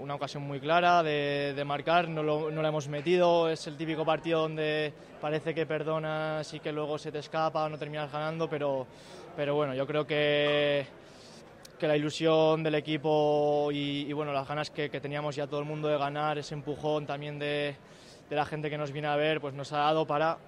S5: muy clara de marcar, no la hemos metido. Es el típico partido donde parece que perdonas y que luego se te escapa o no terminas ganando, pero bueno, yo creo que la ilusión del equipo y las ganas que teníamos ya todo el mundo de ganar, ese empujón también de la gente que nos viene a ver, pues nos ha dado para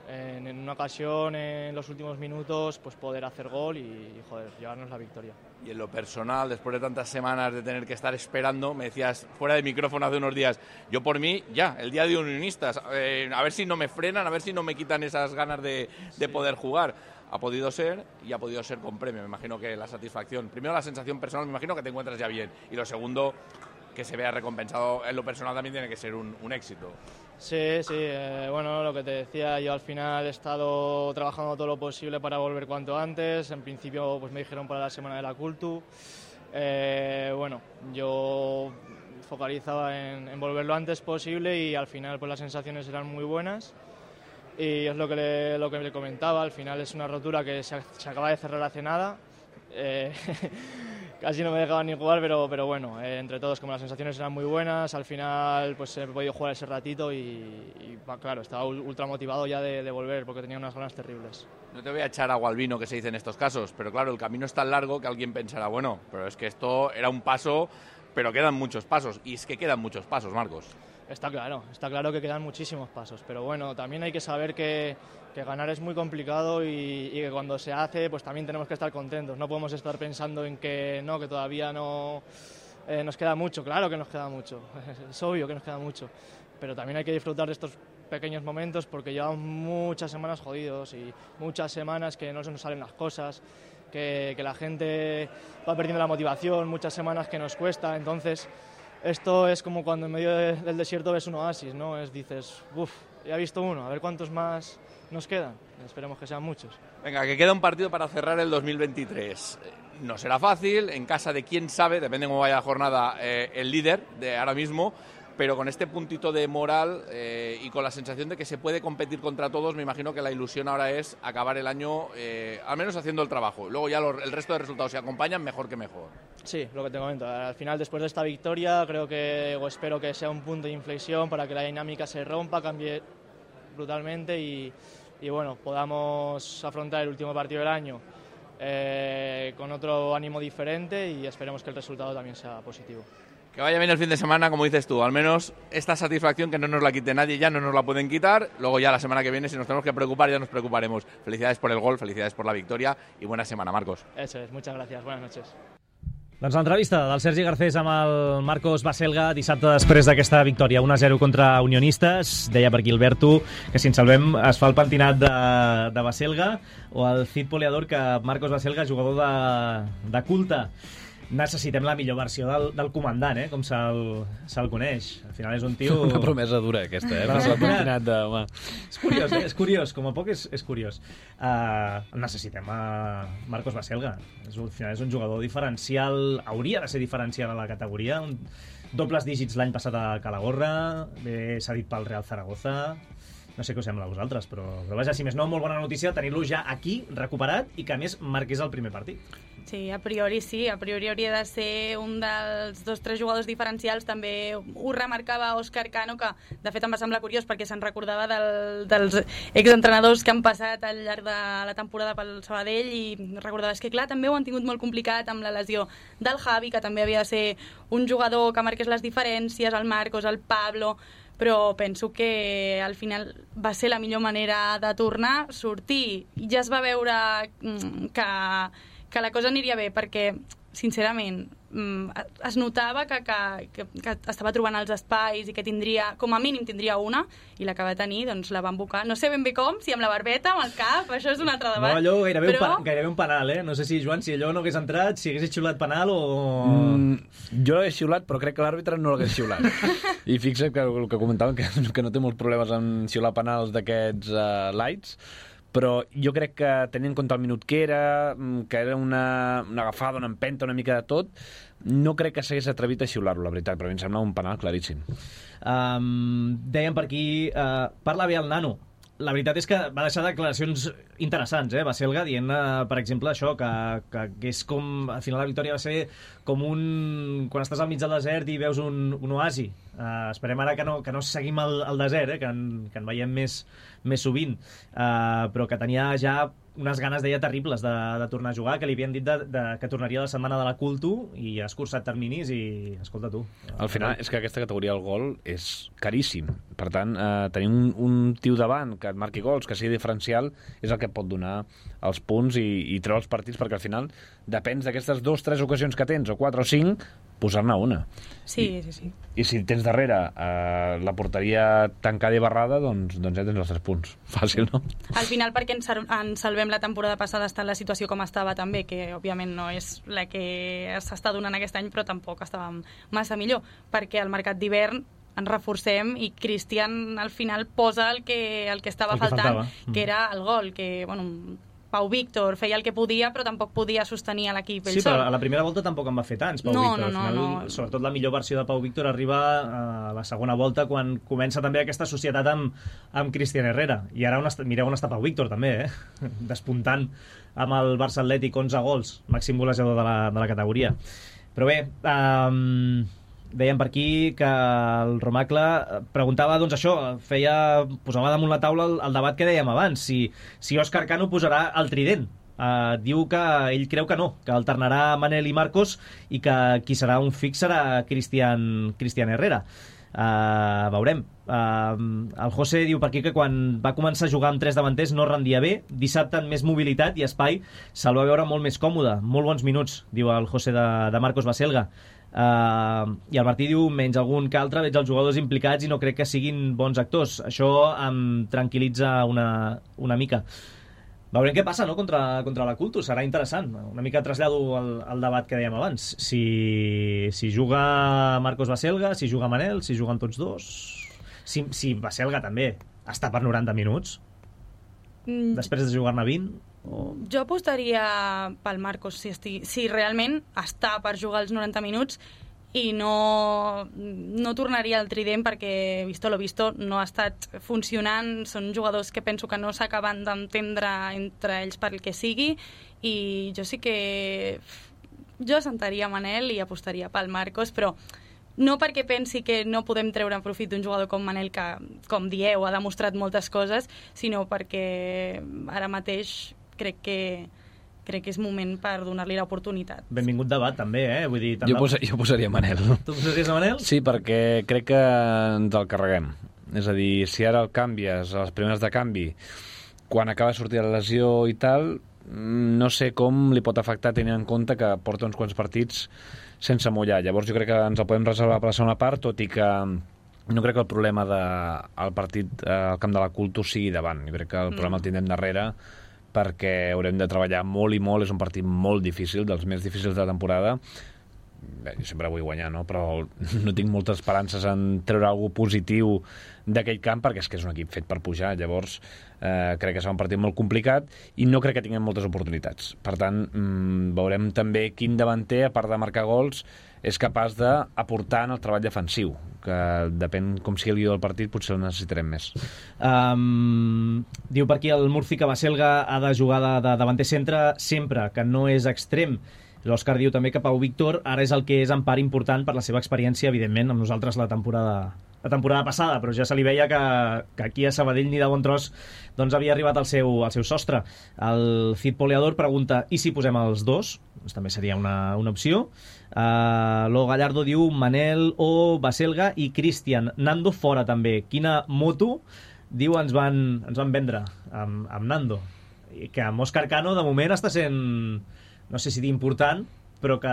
S5: en una ocasión en los últimos minutos pues poder hacer gol y llevarnos la victoria.
S4: Y en lo personal, después de tantas semanas de tener que estar esperando, me decías fuera de micrófono hace unos días, yo por mí ya, el día de Unionistas, a ver si no me frenan, a ver si no me quitan esas ganas de poder jugar. Ha podido ser y ha podido ser con premio. Me imagino que la satisfacción, primero la sensación personal, me imagino que te encuentras ya bien, y lo segundo, que se vea recompensado en lo personal también tiene que ser un éxito.
S5: Sí, lo que te decía, yo al final he estado trabajando todo lo posible para volver cuanto antes. En principio pues me dijeron para la semana de la Cultu. Yo focalizaba en volver lo antes posible y al final pues las sensaciones eran muy buenas. Y es lo que le comentaba, al final es una rotura que se acaba de cerrar hace nada. Casi no me dejaban ni jugar, pero bueno, entre todos, como las sensaciones eran muy buenas, al final pues he podido jugar ese ratito y claro, estaba ultra motivado ya de volver porque tenía unas ganas terribles.
S4: No te voy a echar agua al vino, que se dice en estos casos, pero claro, el camino es tan largo que alguien pensará, bueno, pero es que esto era un paso, pero quedan muchos pasos, y es que quedan muchos pasos, Marcos.
S5: Está claro que quedan muchísimos pasos, pero bueno, también hay que saber que ganar es muy complicado y que cuando se hace pues también tenemos que estar contentos, no podemos estar pensando en que todavía no nos queda mucho. Claro que nos queda mucho, es obvio que nos queda mucho, pero también hay que disfrutar de estos pequeños momentos porque llevamos muchas semanas jodidos y muchas semanas que no se nos salen las cosas, que la gente va perdiendo la motivación, muchas semanas que nos cuesta, entonces esto es como cuando en medio del desierto ves un oasis, ¿no? Dices, ya he visto uno, a ver cuántos más nos quedan. Esperemos que sean muchos.
S4: Venga, que queda un partido para cerrar el 2023. No será fácil, en casa de quién sabe, depende de cómo vaya la jornada, el líder de ahora mismo, pero con este puntito de moral y con la sensación de que se puede competir contra todos, me imagino que la ilusión ahora es acabar el año al menos haciendo el trabajo. Luego ya el resto de resultados se acompañan, mejor que mejor.
S5: Sí, lo que te comento. Al final, después de esta victoria, espero que sea un punto de inflexión para que la dinámica se rompa, cambie brutalmente y podamos afrontar el último partido del año con otro ánimo diferente y esperemos que el resultado también sea positivo.
S4: Que vaya bien el fin de semana, como dices tú, al menos esta satisfacción que no nos la quite nadie, ya no nos la pueden quitar, luego ya la semana que viene si nos tenemos que preocupar ya nos preocuparemos. Felicidades por el gol, felicidades por la victoria y buena semana, Marcos.
S5: Eso es, muchas gracias, buenas noches.
S1: Doncs l'entrevista del Sergi Garcés amb el Marcos Baselga dissabte després d'aquesta victòria 1-0 contra Unionistes. Deia per aquí Alberto que si ens salvem es fa el pentinat de Baselga, o el Cid Poliador que Marcos Baselga, jugador de culte. Necessitem la millor versió del comandant, com se'l coneix. Al final és un tio...
S3: Una promesa dura, aquesta, pentinat de...
S1: És curiós, és curiós. Com a poc és curiós. Necessitem Marcos Baselga. Al final és un jugador diferencial, hauria de ser diferencial a la categoria. Dobles dígits l'any passat a Calahorra, s'ha dit pel Real Zaragoza... No sé què us sembla a vosaltres, però vaja, si més no, molt bona notícia tenir-lo ja aquí, recuperat, i que a més marqués el primer partit.
S2: Sí, a priori sí, a priori hauria de ser un dels 2-3 jugadors diferencials. També ho remarcava Òscar Cano, que de fet em va semblar curiós perquè se'n recordava dels exentrenadors que han passat al llarg de la temporada pel Sabadell, i recordava que clar, també ho han tingut molt complicat amb la lesió del Javi, que també havia de ser un jugador que marqués les diferències, el Marcos, el Pablo, però penso que al final va ser la millor manera de tornar, sortir, i ja es va veure que la cosa aniria bé, perquè sincerament es notava que estava trobant els espais i que tindria, com a mínim tindria una, i la que va tenir doncs la van bocar, no sé ben bé com, si amb la barbeta, amb el cap, això és un altre debat.
S1: No, allò gairebé un penal, no sé si, Joan, si allò no hagués entrat, si hagués xiulat penal o...
S3: Jo l'he xiulat, però crec que l'àrbitre no l'hagués xiulat. I fixa't que el que comentaven, que no té molts problemes en xiular penals d'aquests lights, però jo crec que tenint en compte el minut que era una agafada, una empenta, una mica de tot, no crec que s'hagués atrevit a xiular-lo, la veritat, però a mi em sembla un penal claríssim.
S1: Dèiem per aquí, parla bé el nano. La veritat és que va deixar declaracions interessants, Baselga, dient, per exemple, això, que és com, al final la victòria va ser com quan estàs al mig del desert i veus un oasi. Esperem ara que no seguim el desert, que en veiem més sovint, però que tenia ja unes ganes, deia, terribles de tornar a jugar, que li havien dit que tornaria la setmana de la Culto i ha escurçat terminis i, escolta tu...
S3: Al final és que aquesta categoria del gol és caríssim. Per tant, tenir un tio davant que et marqui gols, que sigui diferencial, és el que et pot donar els punts i treure els partits, perquè al final depens d'aquestes 2-3 ocasions que tens, o 4 o 5, posar-ne una.
S2: Sí.
S3: I si tens darrere la porteria tancada i barrada, doncs ja tens els 3 punts. Fàcil, no?
S2: Al final, perquè ens salvem la temporada passada està en la situació com estava també, que òbviament no és la que s'està donant aquest any, però tampoc estàvem massa millor, perquè al mercat d'hivern ens reforcem i Cristian al final posa el que estava faltant, que era el gol, que, bueno... Pau Víctor feia el que podia, però tampoc podia sostenir a l'equip ell sol.
S1: Sí, però a la primera volta tampoc en va fer tants, Pau Víctor. Al final,
S2: no.
S1: Sobretot la millor versió de Pau Víctor arriba a la segona volta, quan comença també aquesta societat amb Cristian Herrera. I ara mireu on està Pau Víctor, també, despuntant amb el Barça Atlètic, 11 gols, màxim golejador de la categoria. Però bé, dèiem per aquí que el Romacle preguntava, doncs això, posava damunt la taula el debat que dèiem abans, si Òscar Cano posarà el trident. Diu que ell creu que no, que alternarà Manel i Marcos i que qui serà un fix serà Cristian Herrera. Veurem. El José diu per aquí que quan va començar a jugar amb 3 davanters no rendia bé, dissabte amb més mobilitat i espai se'l va veure molt més còmode, molt bons minuts, diu el José de Marcos Baselga. I el Martí diu, menys algun que altre, veig els jugadors implicats i no crec que siguin bons actors. Això em tranquil·litza una mica. Veurem què passa, no?, contra la Culto. Serà interessant. Una mica trasllado al debat que dèiem abans. Si juga Marcos Baselga, si juga Manel, si juguen tots dos... Si Baselga també està per 90 minuts, després de jugar-ne 20...
S2: Jo apostaria pel Marcos si realment està per jugar els 90 minuts i no tornaria al trident, perquè visto lo visto no ha estat funcionant. Són jugadors que penso que no s'acaben d'entendre entre ells per el que sigui, i jo sí que sentaria Manel i apostaria pel Marcos, però no perquè pensi que no podem treure profit d'un jugador com Manel, que, com dieu, ha demostrat moltes coses, sinó perquè ara mateix crec que crec que és moment per donar-li l'oportunitat.
S1: Benvingut debat, també, Vull dir,
S3: jo posaria Manel.
S1: Tu posaries a Manel?
S3: Sí, perquè crec que ens el carreguem. És a dir, si ara el canvies, a les primeres de canvi, quan acaba de sortir la lesió i tal, no sé com li pot afectar tenint en compte que porta uns quants partits sense mullar. Llavors jo crec que ens el podem reservar per la segona part, tot i que no crec que el problema del partit al camp de la Culto sigui davant. Jo crec que el problema el tindrem darrere, perquè haurem de treballar molt i molt. És un partit molt difícil, dels més difícils de la temporada. Bé, jo sempre vull guanyar, no? Però no tinc moltes esperances en treure alguna positiu d'aquell camp, perquè és que és un equip fet per pujar. Llavors crec que serà un partit molt complicat i no crec que tinguem moltes oportunitats. Per tant, veurem també quin davanter, a part de marcar gols, és capaç d'aportar en el treball defensiu, que depèn com sigui el guió del partit, potser el necessitarem més.
S1: Diu per aquí el Murci que Baselga ha de jugar de davanter centre sempre, que no és extrem. L'Òscar diu també que Pau Víctor ara és el que és en part important per la seva experiència, evidentment, amb nosaltres la temporada passada, però ja se li veia que aquí a Sabadell ni de bon tros doncs havia arribat al seu sostre. El Cid Poleador pregunta, i si posem els dos? Doncs també seria una opció. Lo Gallardo diu Manel o Baselga i Cristian. Nando fora també. Quina moto, diu, ens van vendre amb Nando? I que amb Òscar Cano de moment està sent, no sé si dir important, però que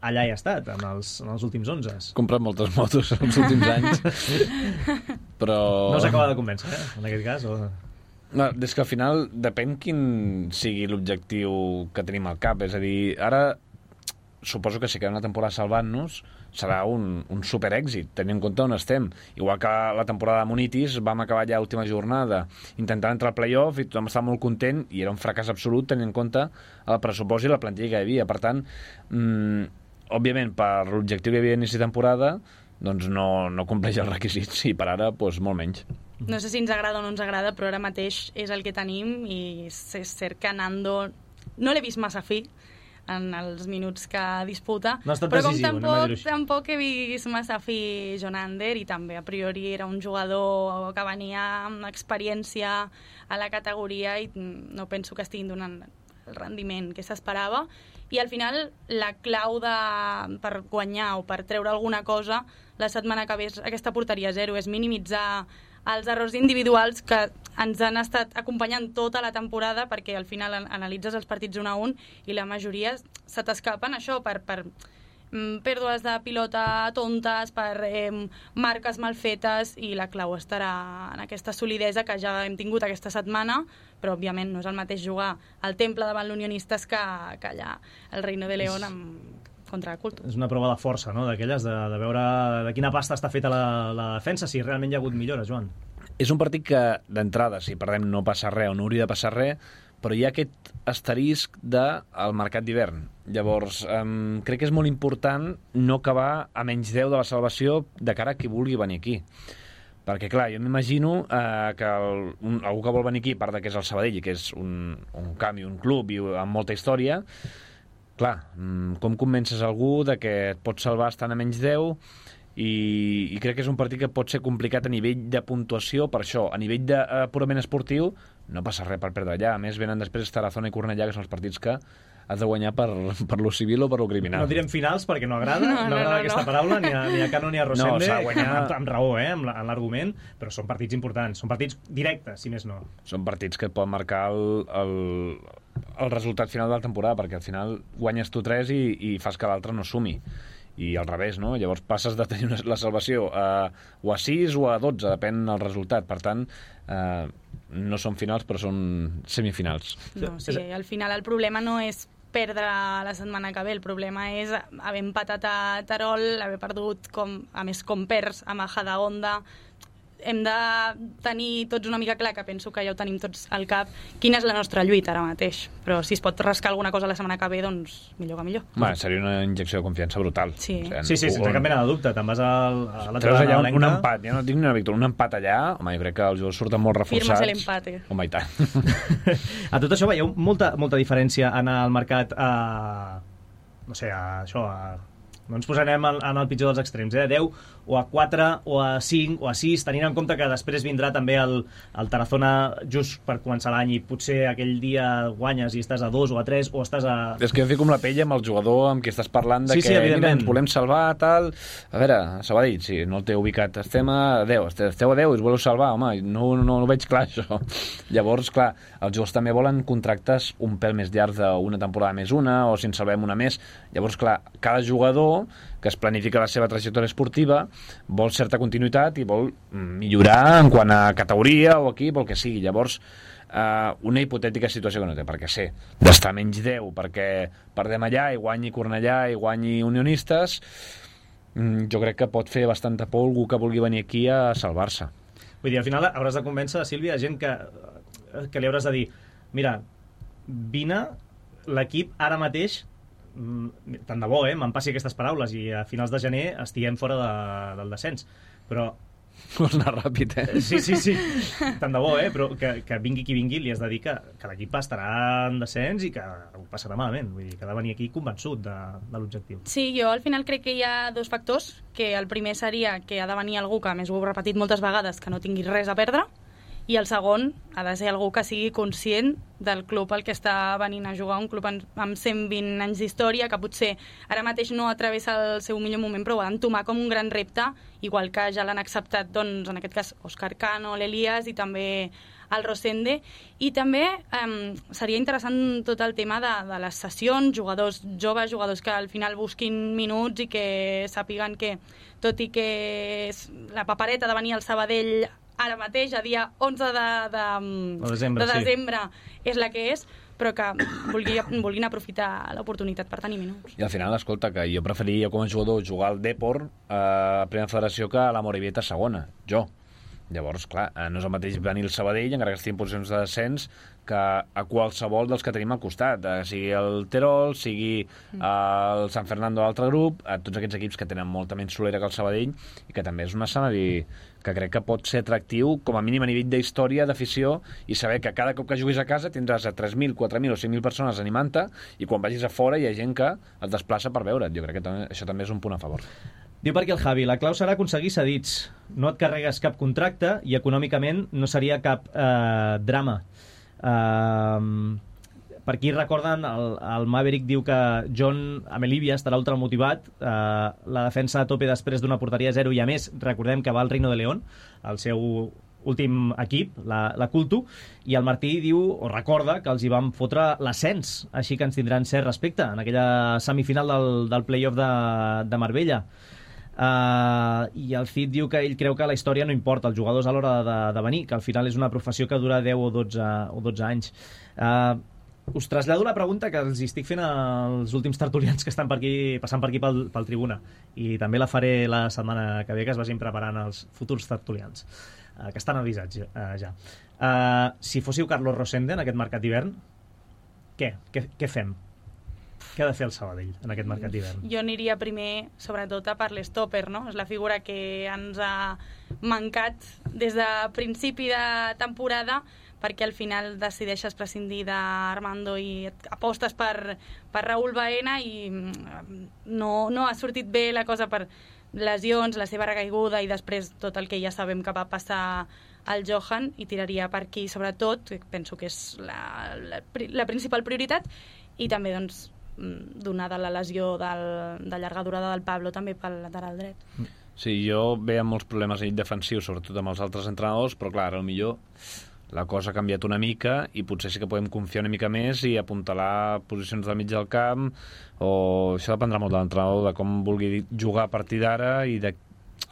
S1: allà hi ha estat, en els últims 11.
S3: Comprat moltes motos en els últims anys, però...
S1: No s'acaba de convèncer, en aquest cas? O...
S3: No, és que al final depèn quin sigui l'objectiu que tenim al cap. És a dir, ara suposo que si queda una temporada salvant-nos serà un superèxit, tenint en compte on estem. Igual que la temporada de Munitis vam acabar ja l'última jornada intentant entrar al playoff i tothom estava molt content i era un fracàs absolut tenint en compte el pressupost i la plantilla que hi havia. Per tant, òbviament, per l'objectiu que hi havia a inici de temporada, doncs no compleix els requisits i per ara doncs, molt menys.
S2: No sé si ens agrada o no ens agrada, però ara mateix és el que tenim i és cert que Nando no l'he vist massa fi en els minuts que disputa,
S1: no
S2: però com tampoc he vist massa fi Jonander, i també a priori era un jugador que venia amb experiència a la categoria i no penso que estiguin donant el rendiment que s'esperava. I al final la clau per guanyar o per treure alguna cosa la setmana que ve aquesta porteria zero és minimitzar els errors individuals que ens han estat acompanyant tota la temporada, perquè al final analitzes els partits 1-1 i la majoria se t'escapen això per pèrdues de pilota tontes, per marques mal fetes, i la clau estarà en aquesta solidesa que ja hem tingut aquesta setmana, però òbviament no és el mateix jugar al Temple davant l'Unionistes que allà el Reino de León contra la Culto.
S1: És una prova de força, no?, d'aquelles, de veure de quina pasta està feta la defensa, si realment hi ha hagut millora, Joan.
S3: És un partit que, d'entrada, si perdem no passa res o no hauria de passar res, però hi ha aquest asterisc del mercat d'hivern. Llavors, crec que és molt important no acabar a menys 10 de la salvació de cara a qui vulgui venir aquí. Perquè, clar, jo m'imagino que algú que vol venir aquí, a part que és el Sabadell, que és un camp i un club i amb molta història, clar, com convences algú de que et pot salvar estant a menys 10 i crec que és un partit que pot ser complicat a nivell de puntuació per això. A nivell de purament esportiu no passa res per perdre allà. A més, venen després Tarazona i Cornellà, que són els partits que has de guanyar per lo civil o per lo criminal. No
S1: direm finals perquè no agrada, no agrada aquesta paraula, ni a Cano ni a Rosende,
S3: s'ha de guanyar
S1: amb raó, en l'argument, però són partits importants, són partits directes, si més no.
S3: Són partits que et poden marcar el resultat final de la temporada, perquè al final guanyes tu 3 i fas que l'altre no sumi. I al revés, no? Llavors passes de tenir la salvació o a 6 o a 12, depèn del resultat. Per tant, no són finals, però són semifinals.
S2: No, sí, al final el problema no és perdre la setmana que ve, el problema és haver empatat a Terol, haver perdut, a més com perds a Majadahonda. Hem de tenir tots una mica clar, que penso que ja ho tenim tots al cap, quina és la nostra lluita ara mateix. Però si es pot rascar alguna cosa la setmana que ve, doncs millor que millor.
S3: Seria una injecció de confiança brutal.
S2: Sí,
S1: sense cap mena de dubte. Te'n vas a la
S3: treus allà un empat, ja no dic ni una victòria, un empat allà, home, jo crec que els jugadors surten molt reforçats.
S2: Firmes l'empate.
S3: Home, i tant.
S1: A tot això veieu molta diferència anar al mercat a no ens posarem en el pitjor dels extrems, 10 o a 4 o a 5 o a 6, tenint en compte que després vindrà també el Tarazona just per començar l'any i potser aquell dia guanyes i estàs a 2 o a 3 o estàs a...
S3: És que jo fico amb la pell amb el jugador amb qui estàs parlant de
S1: sí,
S3: que
S1: mira,
S3: ens volem salvar, tal... A veure, Sabadell, sí, no el té ubicat, estem a 10, esteu a 10 i us voleu salvar, home, no ho veig clar, això. Llavors, clar, els jugadors també volen contractes un pèl més llargs d'una temporada més una, o si en salvem una més. Llavors, clar, cada jugador que es planifica la seva trajectòria esportiva vol certa continuïtat i vol millorar en quant a categoria o equip o el que sigui. Llavors, una hipotètica situació que no té per què ser d'estar menys 10 perquè perdem allà i guanyi Cornellà i guanyi Unionistes, jo crec que pot fer bastanta por algú que vulgui venir aquí a salvar-se.
S1: Vull dir, al final hauràs de convèncer, Sílvia, gent que li hauràs de dir, mira, vine, l'equip ara mateix, tant de bo, me'n passi aquestes paraules i a finals de gener estiguem fora del descens, però...
S3: Vols anar ràpid,
S1: Sí, tant de bo, però que vingui qui vingui li has de dir que l'equip estarà en descens i que ho passarà malament, vull dir, que ha de venir aquí convençut de l'objectiu.
S2: Sí, jo al final crec que hi ha dos factors, que el primer seria que ha de venir algú que, a més ho he repetit moltes vegades, que no tingui res a perdre, i el segon ha de ser algú que sigui conscient del club al que està venint a jugar, un club amb 120 anys d'història, que potser ara mateix no travessa el seu millor moment, però ho ha d'entomar com un gran repte, igual que ja l'han acceptat, doncs, en aquest cas, Òscar Cano, l'Elias i també el Rosende. I també seria interessant tot el tema de les sessions, jugadors joves, jugadors que al final busquin minuts i que sàpiguen que, tot i que la papereta de venir al Sabadell ara mateix, a dia 11 de desembre, és la que és, però que vulguin aprofitar l'oportunitat per tenir minuts.
S3: I al final, escolta, que jo preferiria com a jugador jugar al Depor a Primera Federació que a la Morevieta a segona, jo. Llavors, clar, no és el mateix venir al Sabadell, encara que estigui en posicions de descens, que a qualsevol dels que tenim al costat, sigui el Terol, sigui el San Fernando de l'altre grup, a tots aquests equips que tenen molta menys solera que el Sabadell, i que també és un escenari que crec que pot ser atractiu, com a mínim a nivell d'història, d'afició, i saber que cada cop que juguis a casa tindràs a 3.000, 4.000 o 5.000 persones animant-te, i quan vagis a fora hi ha gent que et desplaça per veure't. Jo crec que això també és un punt a favor.
S1: Diu per aquí el Javi, la clau serà aconseguir cedits. No et carregues cap contracte i econòmicament no seria cap drama. Per aquí recorden, el Maverick diu que John Amelivia estarà ultramotivat, la defensa a tope després d'una porteria 0 i a més, recordem que va al Reino de León, el seu últim equip, la Culto, i el Martí diu, o recorda, que els hi van fotre l'ascens, així que ens tindran cert respecte en aquella semifinal del play-off de Marbella. I el Cid diu que ell creu que la història no importa, els jugadors a l'hora de venir, que al final és una professió que dura 10 o 12 anys. Us trasllado la pregunta que els estic fent als últims tertulians que estan passant per aquí pel Tribuna, i també la faré la setmana que ve, que es vagin preparant els futurs tertulians, que estan avisats ja. Si fóssiu Carlos Rosende en aquest mercat d'hivern, què fem? Què ha de fer el Sabadell en aquest mercat d'hivern?
S2: Jo aniria primer, sobretot, a per l'estòper, no? És la figura que ens ha mancat des de principi de temporada, perquè al final decideixes prescindir d'Armando i apostes per Raúl Baena i no ha sortit bé la cosa per lesions, la seva recaiguda i després tot el que ja sabem que va passar al Johan, i tiraria per aquí sobretot, penso que és la principal prioritat, i també doncs donada la lesió de llarga durada del Pablo també pel lateral dret.
S3: Sí, jo veia molts problemes defensius, sobretot amb els altres entrenadors, però clar, potser la cosa ha canviat una mica i potser sí que podem confiar una mica més i apuntalar posicions del mig del camp, o això dependrà molt de l'entrenador, de com vulgui jugar a partir d'ara i de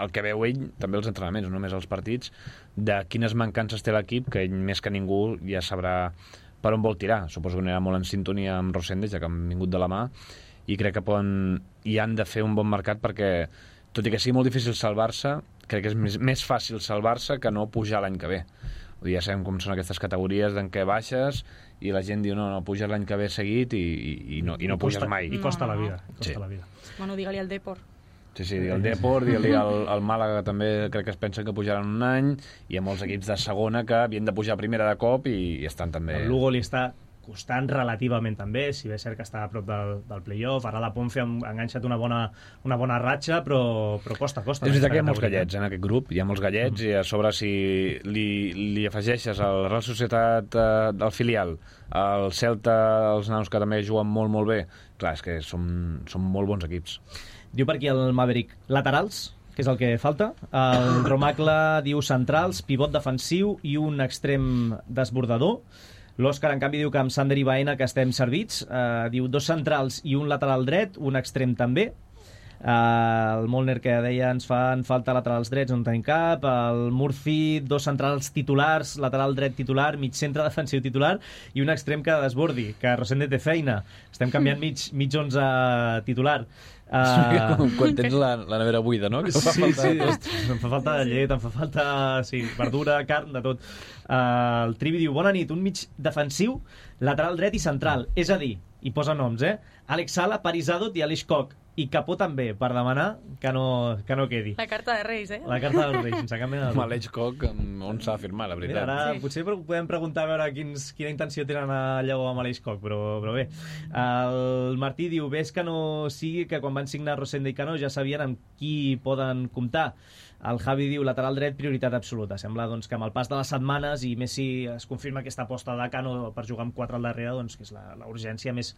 S3: el que veu ell, també els entrenaments, no només els partits, de quines mancances té l'equip, que ell més que ningú ja sabrà per on vol tirar. Suposo que anirà molt en sintonia amb Rosende, ja que han vingut de la mà, i crec que han de fer un bon mercat, perquè tot i que sigui molt difícil salvar-se, crec que és més fàcil salvar-se que no pujar l'any que ve. Ja sabem com són aquestes categories en què baixes i la gent diu no, puges l'any que ve seguit i no puges mai.
S1: I costa la vida.
S2: Bueno, digue-li al Depor.
S3: Sí, digue-li al Depor, digue-li al Màlaga, que també crec que es pensen que pujaran un any, i hi ha molts equips de segona que havien de pujar a primera de cop i estan també...
S1: El Lugo li està costant relativament també, si bé és cert que està a prop del play-off. Ara la Ponfe ha enganxat una bona ratxa, però costa.
S3: És veritat que hi ha molts gallets en aquest grup, hi ha molts gallets, i a sobre si li afegeixes a la Real Societat del filial, el Celta, els nanos que també juguen molt, molt bé, clar, és que són molt bons equips.
S1: Diu per aquí el Maverick, laterals, que és el que falta. El Romacle diu centrals, pivot defensiu i un extrem desbordador. L'Òscar, en canvi, diu que amb Sander i Baena que estem servits. Diu 2 centrals i un lateral dret, un extrem també. El Molner, que deia ens fan falta laterals drets, no en tenim cap. El Murci, 2 centrals titulars, lateral dret titular, mig centre defensiu titular i un extrem que desbordi, que Rosende té feina. Estem canviant mig 11 titular.
S3: Quan tens la nevera buida, no?
S1: Sí. Em fa falta llet, em fa falta verdura, carn, de tot. El Trivi diu, bona nit, un mig defensiu, lateral dret i central. És a dir, i posa noms, Àlex Sala, Paris Adot i Aleix Koch. I Capó també, per demanar que no quedi.
S2: La carta de Reis,
S1: La carta dels Reis, sense cap mena de dubte.
S3: Aleix Koch, on s'ha de firmar, la veritat.
S1: Mira, ara potser podem preguntar a veure quina intenció tenen a Lleó amb Aleix Koch, però bé. El Martí diu, ves que no sigui que quan van signar Rosende i Cano ja sabien amb qui poden comptar. El Javi diu, lateral dret, prioritat absoluta. Sembla doncs, que amb el pas de les setmanes, i més si es confirma aquesta aposta de Cano per jugar amb 4 al darrere, doncs, que és la urgència més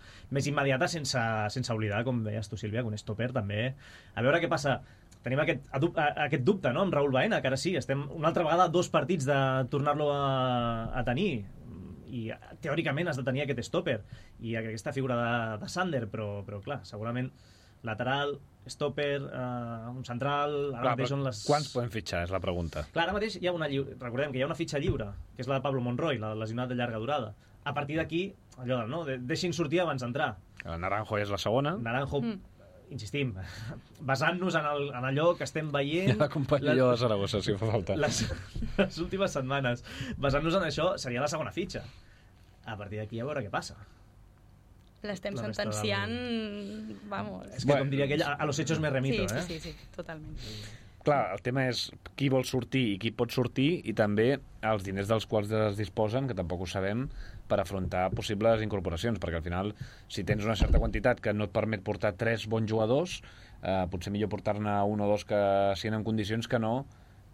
S1: immediata, sense oblidar, com deies tu, Sílvia, que un stopper també. A veure què passa. Tenim aquest dubte, no?, amb Raúl Baena, que ara sí, estem una altra vegada a 2 partits de tornar-lo a tenir, i teòricament has de tenir aquest stopper i aquesta figura de Sander, però clar, segurament lateral, stopper, un central... Ara mateix són les...
S3: Quants podem fitxar, és la pregunta.
S1: Clar, ara mateix hi ha recordem que hi ha una fitxa lliure, que és la de Pablo Monroy, la lesionat de llarga durada. A partir d'aquí, allò no, deixin sortir abans d'entrar.
S3: El Naranjo és la segona.
S1: Naranjo, insistim, basant-nos en allò que estem veient...
S3: Ja l'acompanya jo a Saragossa, si fa falta.
S1: Les últimes setmanes. Basant-nos en això, seria la segona fitxa. A partir d'aquí, a veure què passa.
S2: L'estem sentenciant, vamos...
S1: És que, com diria aquell, a los hechos me remito,
S2: Sí, totalment.
S3: Clar, el tema és qui vol sortir i qui pot sortir, i també els diners dels quals es disposen, que tampoc ho sabem, per afrontar possibles incorporacions, perquè al final, si tens una certa quantitat que no et permet portar 3 bons jugadors, potser millor portar-ne 1 o 2 que siguin en condicions que no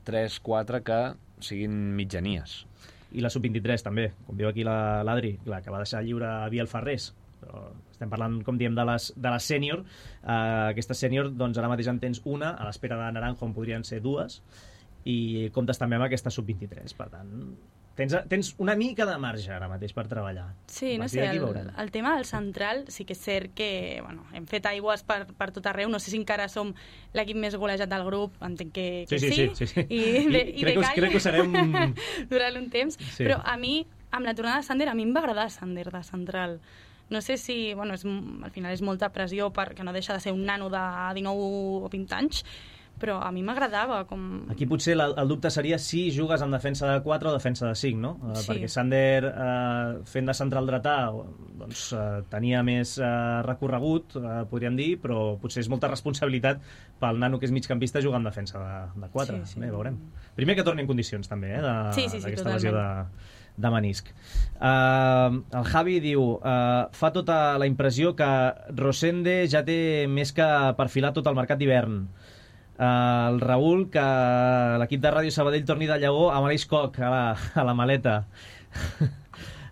S3: 3, 4 que siguin mitjanies.
S1: I la sub-23 també, com diu aquí l'Adri, que va deixar lliure a Biel Ferrés. Però estem parlant, com diem, de les sènior. Aquesta sènior, doncs ara mateix en tens una, a l'espera de Naranjo en podrien ser 2, i comptes també amb aquesta sub-23. Per tant, tens una mica de marge ara mateix per treballar.
S2: Sí, no sé, el tema del central sí que és cert que hem fet aigües per tot arreu. No sé si encara som l'equip més golejat del grup, entenc que sí. I
S1: crec que ho serem
S2: durant un temps, però a mi, amb la tornada de Sander, a mi em va agradar Sander de central. No sé si, al final és molta pressió perquè no deixa de ser un nano de 19 o 20 anys, però a mi m'agradava.
S1: Aquí potser el dubte seria si jugues en defensa de 4 o defensa de 5, no?
S2: Sí.
S1: Perquè Sander, fent de central dretà, doncs, tenia més recorregut, podríem dir, però potser és molta responsabilitat pel nano que és migcampista jugar en defensa de 4.
S2: Sí.
S1: Bé, veurem. Primer que torni en condicions, també, d'aquesta lesió de menisc. El Javi diu, fa tota la impressió que Rosende ja té més que perfilar tot el mercat d'hivern. El Raül, que l'equip de Ràdio Sabadell torni de Lleó amb Aleix Koch a la maleta.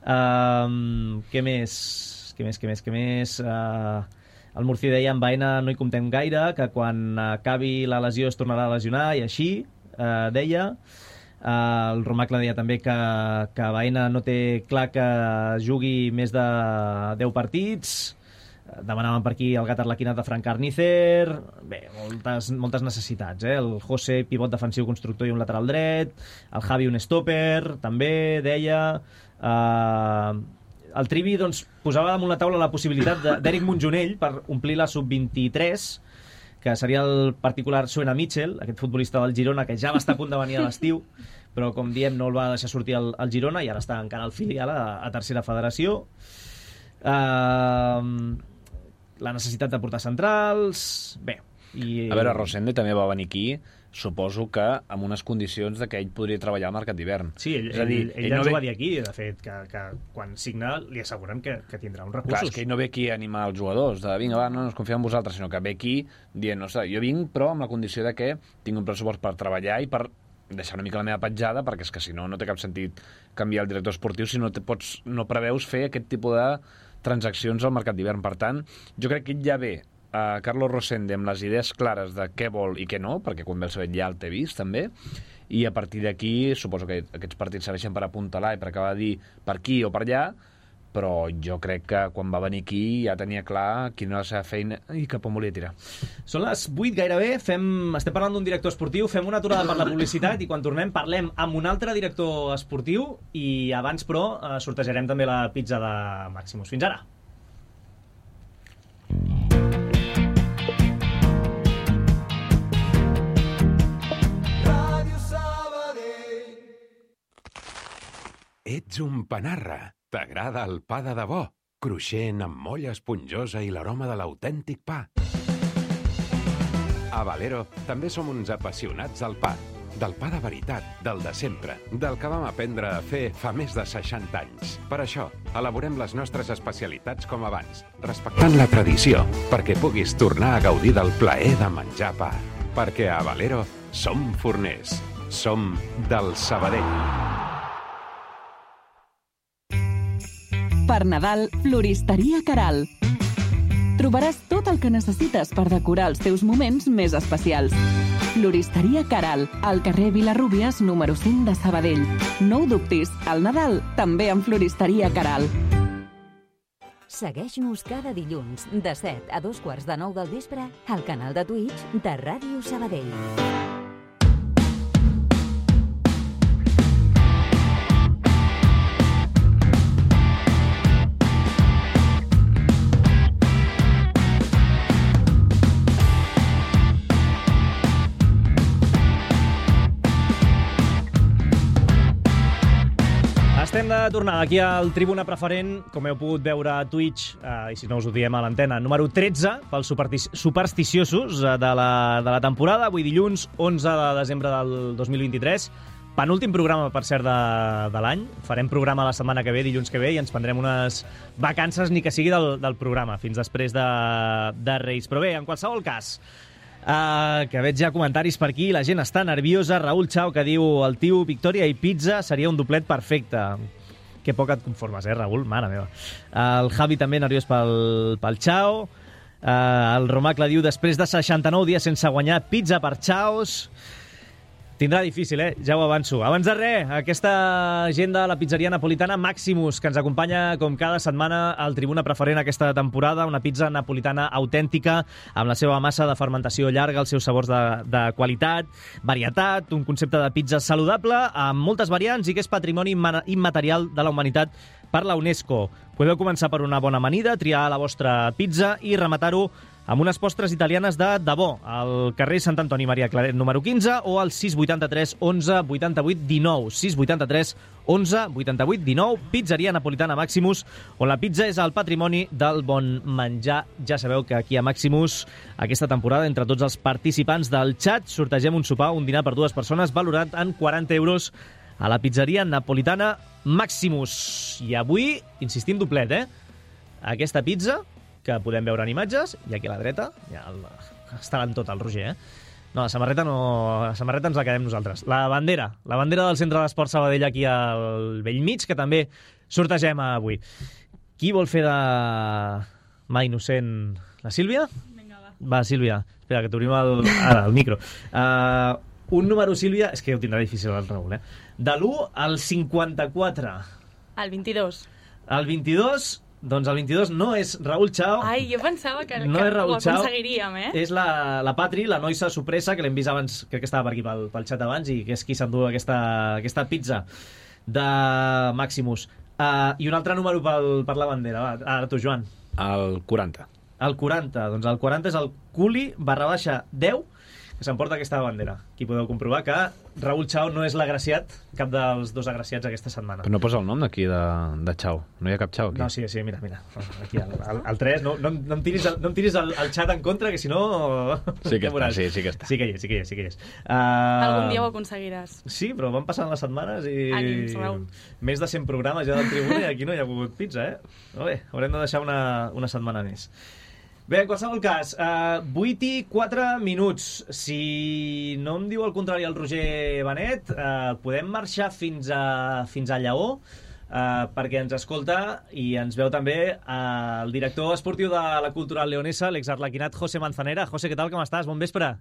S1: Què més? El Murci deia amb Baena no hi comptem gaire, que quan acabi la lesió es tornarà a lesionar, i així deia. El Romacle deia també que Baena no té clar que jugui més de 10 partits. Demanaven per aquí el gat arlequinat de Frank Carnicer. Bé, moltes necessitats, El José, pivot defensiu constructor i un lateral dret. El Javi, un stopper, també deia. El Trivi doncs, posava damunt la taula la possibilitat d'Eric Montjonell per omplir la sub-23, que seria el particular Suena Mitchell, aquest futbolista del Girona, que ja va estar a punt de venir a l'estiu, però, com diem, no el va deixar sortir al Girona, i ara està encara al filial a tercera federació. La necessitat de portar centrals... Bé.
S3: A veure, Rosende també va venir aquí suposo que amb unes condicions de que ell podria treballar al mercat d'hivern.
S1: Sí, ell ens ho va dir aquí, de fet, que quan signa li asseguren que tindrà uns recursos.
S3: Clar, és que ell no ve aquí a animar els jugadors, de vinga, va, no ens confiem en vosaltres, sinó que ve aquí dient, no sé, jo vinc però amb la condició de que tinc un pressupost per treballar i per deixar una mica la meva petjada, perquè és que si no, no té cap sentit canviar el director esportiu si no preveus fer aquest tipus de transaccions al mercat d'hivern. Per tant, jo crec que ell ja ve Carlos Rosende amb les idees clares de què vol i què no, perquè quan ve el Sabadell ja el té vist també, i a partir d'aquí suposo que aquests partits serveixen per apuntalar i per acabar de dir per aquí o per allà, però jo crec que quan va venir aquí ja tenia clar quina era la seva feina i cap on volia tirar.
S1: Són les 8 gairebé, estem parlant d'un director esportiu, fem una aturada per la publicitat i quan tornem parlem amb un altre director esportiu i abans però sortejarem també la pizza de Maximus. Fins ara!
S6: Ets un panarra. T'agrada el pa de debò, cruixent amb molla esponjosa i l'aroma de l'autèntic pa. A Valero també som uns apassionats del pa. Del pa de veritat, del de sempre, del que vam aprendre a fer fa més de 60 anys. Per això, elaborem les nostres especialitats com abans, respectant la tradició, perquè puguis tornar a gaudir del plaer de menjar pa. Perquè a Valero som forners. Som del Sabadell.
S7: Per Nadal, Floristeria Caral. Trobaràs tot el que necessites per decorar els teus moments més especials. Floristeria Caral, al carrer Vilarrúbies, número 5 de Sabadell. No ho dubtis, al Nadal també amb Floristeria Caral.
S8: Segueix-nos cada dilluns de 7 a 2:15 del vespre al canal de Twitch de Ràdio Sabadell.
S1: Estem de tornada aquí al Tribuna Preferent, com heu pogut veure a Twitch, i si no us ho diem a l'antena, número 13, pels supersticiosos de la temporada, avui dilluns, 11 de desembre del 2023. Penúltim programa, per cert, de l'any. Farem programa la setmana que ve, dilluns que ve, i ens prendrem unes vacances, ni que sigui del programa, fins després de Reis. Però bé, en qualsevol cas, que veig ja comentaris per aquí, la gent està nerviosa. Raül Chao, que diu el tio Victòria i pizza seria un doblet perfecte. Que poc et conformes, Raül? Mare meva. El Javi també nerviós pel Chao. El Romacle diu, després de 69 dies sense guanyar, pizza per Chaos. Tindrà difícil, ja ho avanço. Abans de res, aquesta gent de la pizzeria napolitana Maximus, que ens acompanya com cada setmana al Tribuna Preferent aquesta temporada, una pizza napolitana autèntica, amb la seva massa de fermentació llarga, els seus sabors de qualitat, varietat, un concepte de pizza saludable, amb moltes variants i que és patrimoni immaterial de la humanitat per la UNESCO. Podeu començar per una bona amanida, triar la vostra pizza i rematar-ho amb unes postres italianes de debò, al carrer Sant Antoni Maria Claret número 15 o al 683 11 88 19. 683 11 88 19, pizzeria napolitana Maximus, on la pizza és el patrimoni del bon menjar. Ja sabeu que aquí a Maximus, aquesta temporada, entre tots els participants del xat, sortegem un sopar, un dinar per dues persones, valorat en 40 euros a la pizzeria napolitana Maximus. I avui, insistim doblet, aquesta pizza que podem veure en imatges, i aquí a la dreta ja està en tot el Roger, No, la samarreta no, la samarreta ens la quedem nosaltres. La bandera del Centre d'Esport Sabadell aquí al Bellmig, que també sortegem avui. Qui vol fer de mà innocent? La Sílvia?
S2: Vinga, va.
S1: Va, Sílvia. Espera, que t'obrim el micro. Un número, Sílvia, és que ho tindrà difícil el Raül, de l'1 al 54.
S2: El 22.
S1: El 22... Doncs el 22 no és Raül Chao.
S2: Ai, jo pensava que
S1: no és Raül
S2: ho aconseguiríem,
S1: És la Patri, la noisa sorpresa, que l'hem vist abans, crec que estava per aquí pel xat abans, i que és qui s'endú aquesta pizza de Maximus. I un altre número per la bandera. Va, ara tu, Joan.
S3: El 40.
S1: El 40. Doncs el 40 és el Culi /10, que s'emporta aquesta bandera. Aquí podeu comprovar que Raúl Chao no és l'agraciat, cap dels dos agraciats aquesta setmana.
S3: Però no posa el nom d'aquí de Chao. No hi ha cap Chao aquí.
S1: No, sí, mira. Aquí el 3, no em tiris el xat en contra, que si no...
S3: Sí que està, sí que està.
S1: Sí que hi és.
S2: Algun dia ho aconseguiràs.
S1: Sí, però van passant les setmanes i...
S2: Ànims, Raúl.
S1: Més de 100 programes ja del Tribuna i aquí no hi ha hagut pizza, Molt bé, haurem de deixar una setmana més. Bé, en qualsevol cas, 8 i 4 minuts. Si no em diu el contrari el Roger Benet, podem marxar fins a Lleó, perquè ens escolta i ens veu també el director esportiu de la Cultural Leonesa, l'exarlequinat José Manzanera. José, què tal, com estàs? Bon vespre.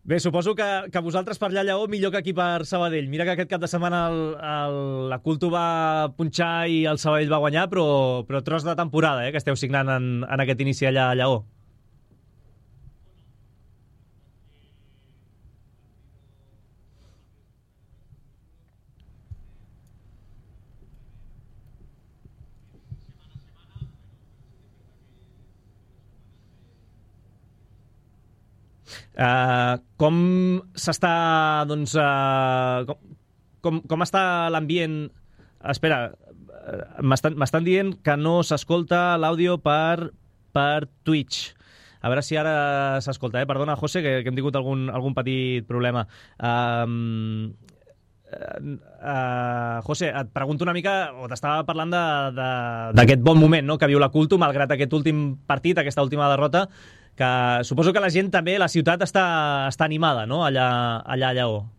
S1: Bé, suposo que vosaltres per allà a Lleó millor que aquí per Sabadell. Mira que aquest cap de setmana la Cultu va punxar i el Sabadell va guanyar, però tros de temporada, que esteu signant en aquest inici allà a Lleó. Com s'està, doncs, com està l'ambient? Espera, m'estan dient que no s'escolta l'àudio per Twitch. A veure si ara s'escolta, Perdona, José, que hem tingut algun petit problema. José, et pregunto una mica, o t'estava parlant d'aquest bon moment, no?, que viu la Cultu, malgrat aquest últim partit, aquesta última derrota, que suposo que la gent també, la ciutat està animada, ¿no?, allá a Lleó.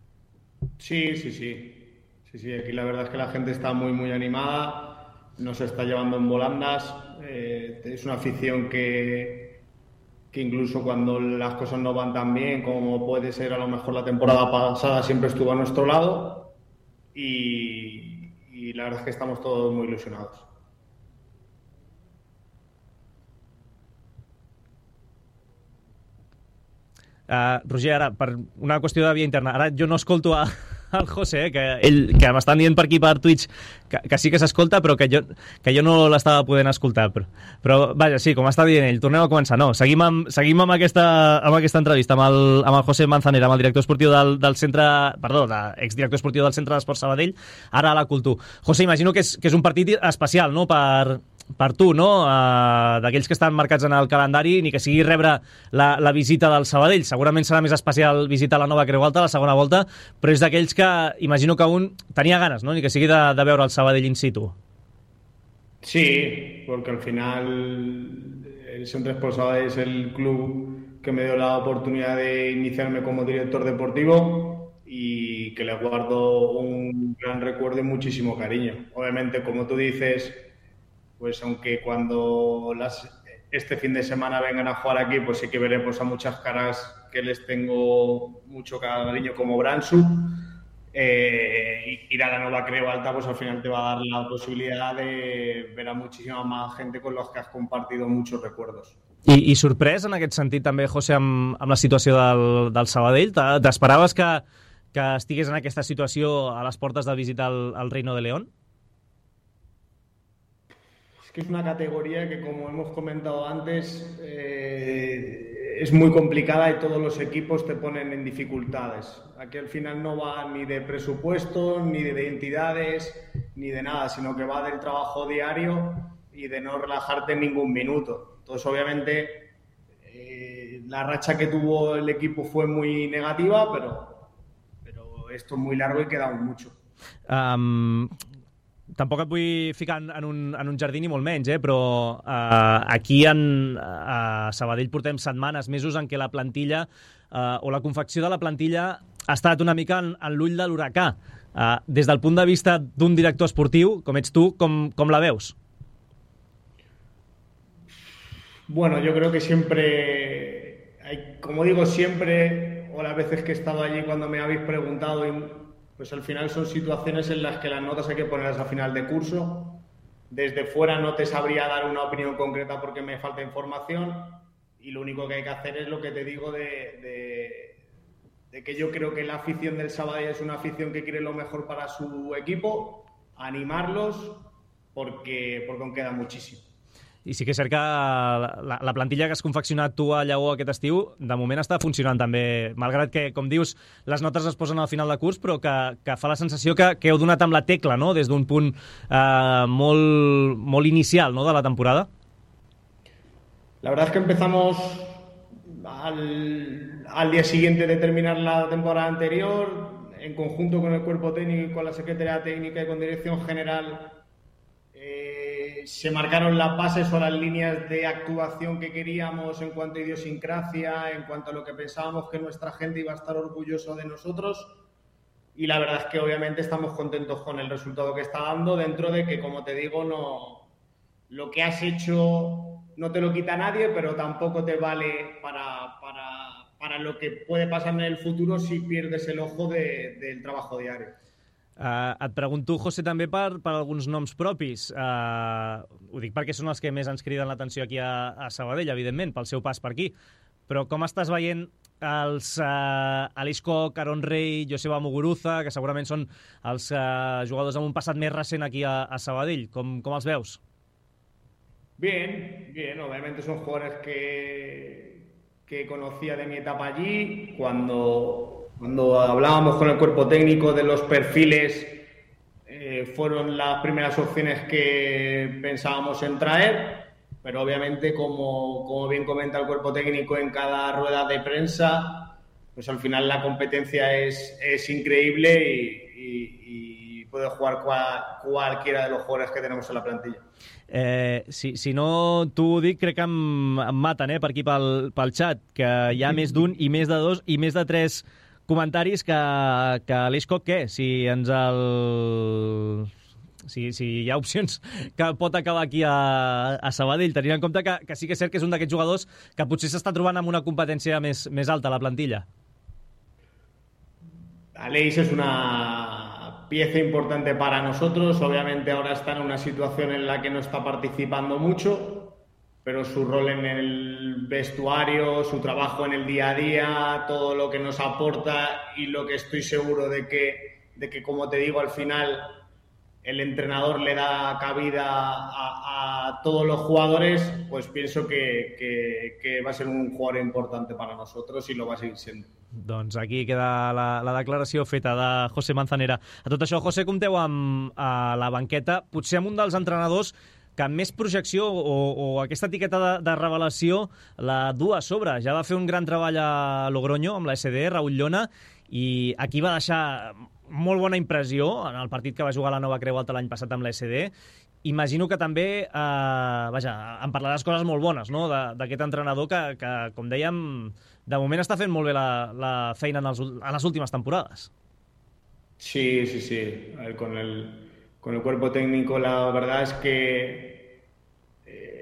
S9: Sí, aquí la verdad es que la gente está muy, muy animada, nos está llevando en volandas, es una afición que incluso cuando las cosas no van tan bien como puede ser a lo mejor la temporada pasada, siempre estuvo a nuestro lado y la verdad es que estamos todos muy ilusionados.
S1: Roger, ara, per una qüestió de via interna, ara jo no escolto al José, que m'estan dient per aquí per Twitch que sí que s'escolta, però que jo no l'estava podent escoltar. Però vaja, sí, com està dient ell, tornem a començar. No, seguim amb aquesta entrevista amb el José Manzanera, amb el director esportiu del centre, exdirector esportiu del Centre d'Esports Sabadell, ara a la Cultu. José, imagino que és un partit especial, no?, per tu, no?, d'aquells que estan marcats en el calendari, ni que sigui rebre la visita del Sabadell. Segurament serà més especial visitar la Nova Creu Alta, la segona volta, però és d'aquells que imagino que un tenia ganes, no?, ni que sigui de veure el Sabadell in situ.
S9: Sí, porque al final el Centre d'Esports Sabadell es el club que me dio la oportunidad de iniciarme como director deportivo y que le guardo un gran recuerdo y muchísimo cariño. Obviamente, como tú dices, pues aunque cuando este fin de semana vengan a jugar aquí, pues sí que veremos a muchas caras que les tengo mucho cariño, como Bransu. Ir a la Nova Creu Alta, pues al final te va a dar la posibilidad de ver a muchísima más gente con los que has compartido muchos recuerdos.
S1: I sorprès en aquest sentit també, José, amb la situació del Sabadell? T'esperaves que estigués en aquesta situació a les portes de visitar el Reino de León?
S9: Es una categoría que, como hemos comentado antes, es muy complicada y todos los equipos te ponen en dificultades. Aquí al final no va ni de presupuestos, ni de identidades, ni de nada, sino que va del trabajo diario y de no relajarte en ningún minuto. Entonces, obviamente, la racha que tuvo el equipo fue muy negativa, pero esto es muy largo y queda mucho.
S1: Tampoc et vull ficar en un jardí ni molt menys, però aquí a Sabadell portem setmanes, mesos en què la plantilla o la confecció de la plantilla ha estat una mica en l'ull de l'huracà. Des del punt de vista d'un director esportiu, com ets tu, com la veus?
S9: Bueno, yo creo que siempre, como digo siempre, o las veces que he estado allí cuando me habéis preguntado, pues al final son situaciones en las que las notas hay que ponerlas a final de curso. Desde fuera no te sabría dar una opinión concreta porque me falta información y lo único que hay que hacer es lo que te digo de que yo creo que la afición del Sabadell es una afición que quiere lo mejor para su equipo, animarlos porque aún queda muchísimo.
S1: I sí que és cert que la plantilla que has confeccionat tu a Lleó aquest estiu, de moment està funcionant també, malgrat que, com dius, les notes es posen al final de curs, però que fa la sensació que heu donat amb la tecla, no?, des d'un punt molt inicial, no?, de la temporada.
S9: La verdad es que empezamos al día siguiente de terminar la temporada anterior, en conjunto con el cuerpo técnico y con la Secretaría Técnica y con Dirección General, se marcaron las bases o las líneas de actuación que queríamos en cuanto a idiosincrasia, en cuanto a lo que pensábamos que nuestra gente iba a estar orgulloso de nosotros, y la verdad es que obviamente estamos contentos con el resultado que está dando, dentro de que, como te digo, lo que has hecho no te lo quita nadie, pero tampoco te vale para lo que puede pasar en el futuro si pierdes el ojo del trabajo diario.
S1: Et pregunto, José, també per alguns noms propis. Ho dic perquè són els que més ens criden l'atenció aquí a Sabadell, evidentment, pel seu pas per aquí. Però com estàs veient els Aleix Koch, Aaron Rey, Joseba Muguruza, que segurament són els jugadors amb un passat més recent aquí a Sabadell? Com els veus?
S9: Bien, obviamente son jugadores que conocía de mi etapa allí. Cuando hablábamos con el cuerpo técnico de los perfiles, fueron las primeras opciones que pensábamos en traer, pero obviamente, como bien comenta el cuerpo técnico en cada rueda de prensa, pues al final la competencia es increíble y puede jugar cualquiera de los jugadores que tenemos en la plantilla.
S1: Si no t'ho dic, crec que em maten per aquí pel xat, que hi ha més d'un i més de dos i més de tres comentaris que Aleix Koch, què? Si hi ha opcions que pot acabar aquí a Sabadell, tenint en compte que sí que és cert que és un d'aquests jugadors que potser s'està trobant amb una competència més alta a la plantilla.
S9: Aleix es una pieza importante para nosotros. Obviamente ahora está en una situación en la que no está participando mucho, pero su rol en el vestuario, su trabajo en el día a día, todo lo que nos aporta y lo que estoy seguro de que, como te digo, al final el entrenador le da cabida a todos los jugadores, pues pienso que va a ser un jugador importante para nosotros y lo va a seguir siendo.
S1: Doncs aquí queda la declaració feta de José Manzanera. A tot això, José, compteu a la banqueta, potser amb un dels entrenadors que amb més projecció o aquesta etiqueta de revelació la du a sobre. Ja va fer un gran treball a Logroño amb la SD, Raúl Llona, i aquí va deixar molt bona impressió en el partit que va jugar a la Nova Creu Alta l'any passat amb la SD. Imagino que també em parlaràs coses molt bones, no?, d'aquest entrenador que, com dèiem, de moment està fent molt bé la feina en les últimes temporades.
S9: Sí. A ver, con el cuerpo técnico, la verdad es que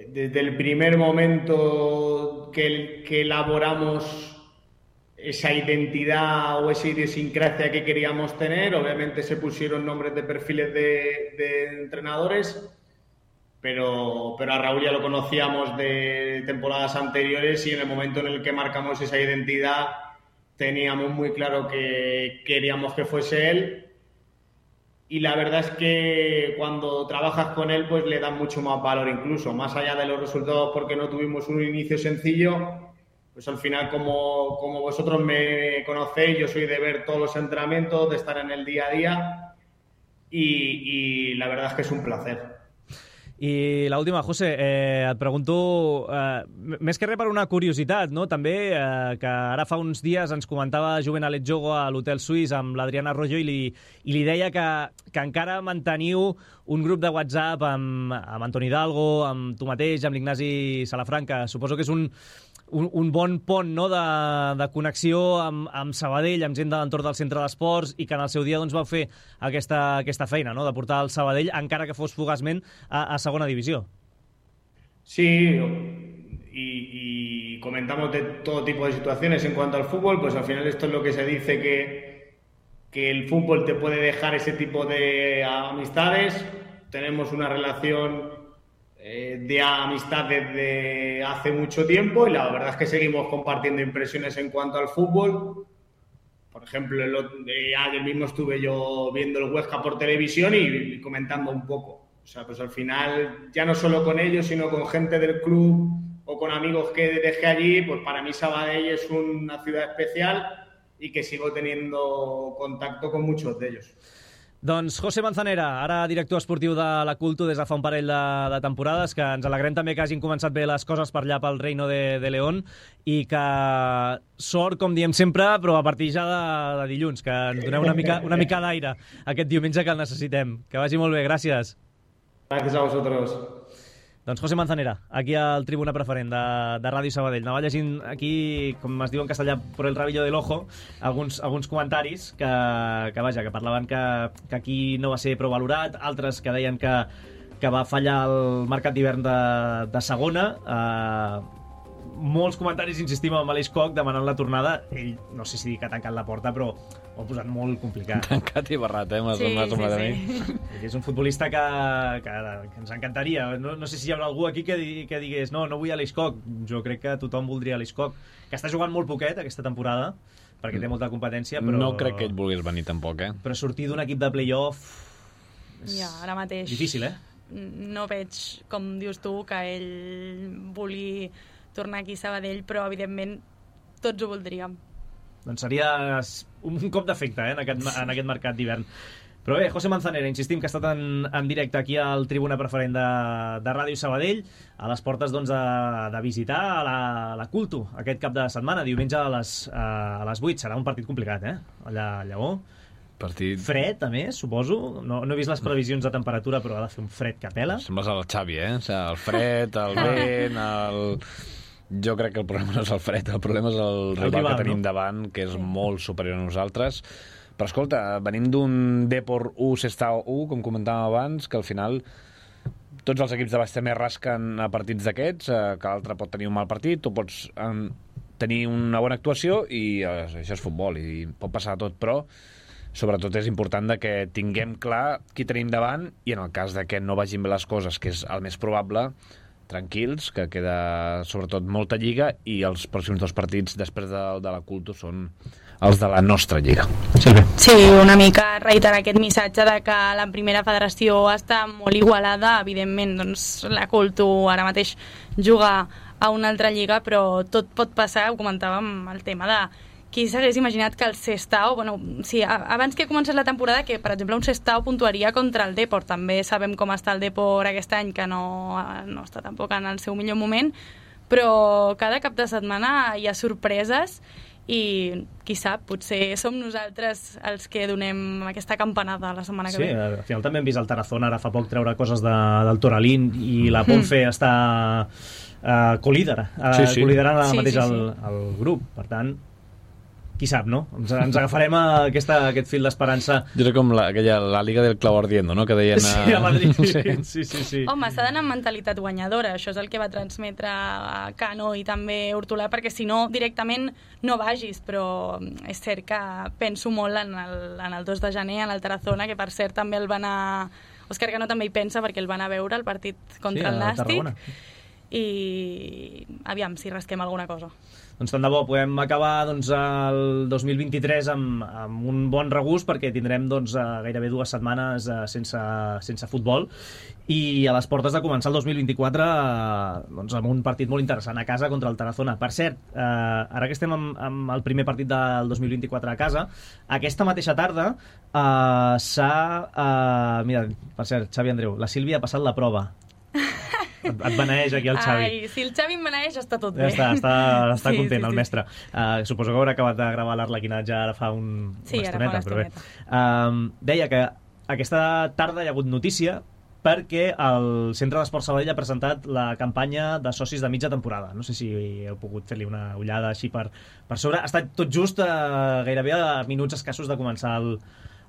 S9: desde el primer momento que elaboramos esa identidad o esa idiosincrasia que queríamos tener, obviamente se pusieron nombres de perfiles de entrenadores, pero a Raúl ya lo conocíamos de temporadas anteriores y en el momento en el que marcamos esa identidad teníamos muy claro que queríamos que fuese él. Y la verdad es que cuando trabajas con él, pues le das mucho más valor incluso, más allá de los resultados, porque no tuvimos un inicio sencillo. Pues al final, como vosotros me conocéis, yo soy de ver todos los entrenamientos, de estar en el día a día y la verdad es que es un placer.
S1: I l'última, José, et pregunto, més que res per una curiositat, no?, també, que ara fa uns dies ens comentava Juvenal Etjogo a l'Hotel Suís amb l'Adriana Arroyo i li deia que encara manteniu un grup de WhatsApp amb Antoni Hidalgo, amb tu mateix, amb l'Ignasi Salafranca. Suposo que és un bon pont, no?, de connexió amb Sabadell, amb gent de l'entorn del centre d'esports, i que en el seu dia doncs, vau fer aquesta feina, no?, de portar el Sabadell, encara que fos fugaçment, a segona divisió.
S9: Sí, y comentamos de todo tipo de situaciones en cuanto al fútbol, pues al final esto es lo que se dice, que el fútbol te puede dejar ese tipo de amistades. Tenemos una relación de amistad desde hace mucho tiempo y la verdad es que seguimos compartiendo impresiones en cuanto al fútbol. Por ejemplo, ayer mismo estuve yo viendo el Huesca por televisión y comentando un poco. O sea, pues al final, ya no solo con ellos, sino con gente del club o con amigos que dejé allí, pues para mí Sabadell es una ciudad especial y que sigo teniendo contacto con muchos de ellos.
S1: Doncs José Manzanera, ara director esportiu de la Culto des de fa un parell de temporades, que ens alegrem també que hagin començat bé les coses per allà pel Reino de León i que sort, com diem sempre, però a partir ja de dilluns, que ens doneu una mica d'aire aquest diumenge que el necessitem. Que vagi molt bé, gràcies.
S9: Gràcies a vosaltres.
S1: Doncs José Manzanera, aquí al Tribuna Preferent de Ràdio Sabadell. Anava llegint aquí, com es diu en castellà, por el rabillo del ojo, alguns comentaris que parlaven que aquí no va ser prou valorat, altres que deien que va fallar el mercat d'hivern de segona. Molts comentaris, insistim, amb Aleix Koch demanant la tornada. Ell, no sé si que ha tancat la porta, però ho ha posat molt complicat.
S3: Tancat i barrat, m'ha semblat a mi.
S1: És un futbolista que ens encantaria. No sé si hi haurà algú aquí que digués no vull Aleix Koch. Jo crec que tothom voldria Aleix Koch, que està jugant molt poquet aquesta temporada, perquè té molta competència, però...
S3: No crec que ell volgués venir tampoc,
S1: Però sortir d'un equip de play-off...
S2: Ja, ara mateix...
S1: Difícil,
S2: No veig, com dius tu, que ell vulgui tornar aquí a Sabadell, però evidentment tots ho voldríem.
S1: Doncs seria un cop d'efecte en aquest mercat d'hivern. Però bé, José Manzanera, insistim que ha estat en directe aquí al Tribuna Preferent de Ràdio Sabadell, a les portes doncs, de visitar la Culto aquest cap de setmana, diumenge a les 8. Serà un partit complicat, allà a Lleó.
S3: Partit...
S1: Fred, a més, suposo. No he vist les previsions de temperatura, però ha de fer un fred que pela.
S3: Sembles el Xavi, O sigui, el fred, el vent, Jo crec que el problema no és el fred, el problema és el rival que tenim davant, que és molt superior a nosaltres. Però escolta, venim d'un Depor 1, Sestao 1, com comentàvem abans, que al final tots els equips de baix també rasquen a partits d'aquests, que l'altre pot tenir un mal partit, tu pots tenir una bona actuació i això és futbol i pot passar tot, però sobretot és important que tinguem clar qui tenim davant i en el cas de que no vagin bé les coses, que és el més probable, tranquils, que queda sobretot molta lliga i els pròxims 2 partits després de la Culto són els de la nostra lliga.
S2: Sí, una mica reiterar aquest missatge de que la primera federació està molt igualada. Evidentment, doncs, la Culto ara mateix juga a una altra lliga, però tot pot passar. Ho comentàvem, el tema de qui s'hagués imaginat que el Sestao, abans que comencés la temporada, que per exemple un Sestao puntuaria contra el Depor. També sabem com està el Depor aquest any, que no està tampoc en el seu millor moment, però cada cap de setmana hi ha sorpreses i qui sap, potser som nosaltres els que donem aquesta campanada la setmana que ve.
S1: Sí, al final també hem vist el Tarazona ara fa poc treure coses del Toralín i la Ponfe està col·liderant ara mateix el grup, per tant qui sap, no? Ens agafarem a aquest fil d'esperança.
S3: Jo crec com la Liga del Clau Ardiendo, no? Que deien...
S1: Sí, a Madrid. Sí.
S2: Home, s'ha d'anar amb mentalitat guanyadora. Això és el que va transmetre a Cano i també Hortolà, perquè si no, directament no vagis. Però és cert que penso molt en el 2 de gener, en el Tarazona, que per cert també el va anar... Òscar Cano també hi pensa perquè el va anar a veure el partit contra el Nàstic. I aviam si rasquem alguna cosa.
S1: Doncs tant de bo podem acabar el 2023 amb un bon regust, perquè tindrem gairebé 2 setmanes sense futbol i a les portes de començar el 2024 amb un partit molt interessant a casa contra el Tarazona. Per cert, ara que estem amb el primer partit del 2024 a casa, aquesta mateixa tarda mira, per cert, Xavi Andreu, la Sílvia ha passat la prova. Et beneeix aquí el Xavi.
S2: Ai, si el Xavi em beneeix està tot bé.
S1: Està content el mestre. Suposo que haurà acabat de gravar l'Arlequinatge ara fa una estoneta. Però bé. Deia que aquesta tarda hi ha hagut notícia perquè el Centre d'Esports Sabadell ha presentat la campanya de socis de mitja temporada. No sé si heu pogut fer-li una ullada així per sobre. Ha estat tot just gairebé a minuts escassos de començar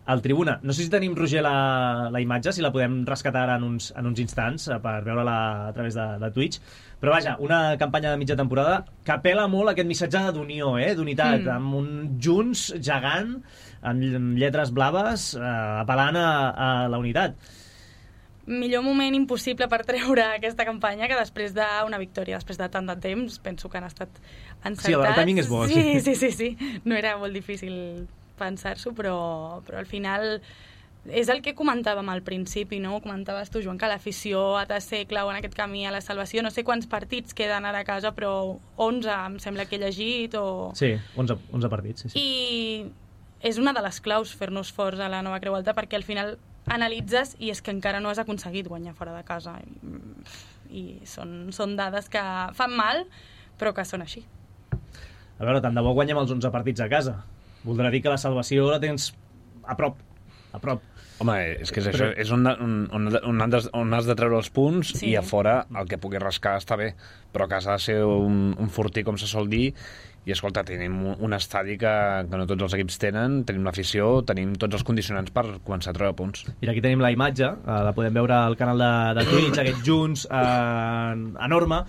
S1: al Tribuna. No sé si tenim, Roger, la imatge, si la podem rescatar en uns instants per veure-la a través de Twitch. Però vaja, una campanya de mitja temporada que apela molt a aquest missatge d'unió, d'unitat, amb un Junts gegant, amb lletres blaves, apel·lant a la unitat.
S2: Millor moment impossible per treure aquesta campanya que després d'una victòria, després de tant de temps, penso que han estat encertats.
S1: Sí, el timing és bo.
S2: Sí. No era molt difícil pensar-s'ho, però al final és el que comentàvem al principi, no? Ho comentaves tu, Joan, que l'afició ha de ser clau en aquest camí a la salvació. No sé quants partits queden ara a casa, però 11 em sembla que he llegit.
S1: Sí, 11 partits. Sí.
S2: I és una de les claus fer-nos forts a la Nova Creu Alta, perquè al final analitzes i és que encara no has aconseguit guanyar fora de casa. I són dades que fan mal, però que són així.
S1: A veure, tant de bo guanyem els 11 partits a casa. Voldrà dir que la salvació la tens a prop.
S3: Home, és que és això, és on has de treure els punts, sí. I a fora el que pugui rascar està bé, però a casa ha de ser un fortí, com se sol dir, i escolta, tenim un estadi que no tots els equips tenen, tenim l'afició, tenim tots els condicionants per començar a treure punts.
S1: Mira, aquí tenim la imatge, la podem veure al canal de Twitch, aquests junts enorme,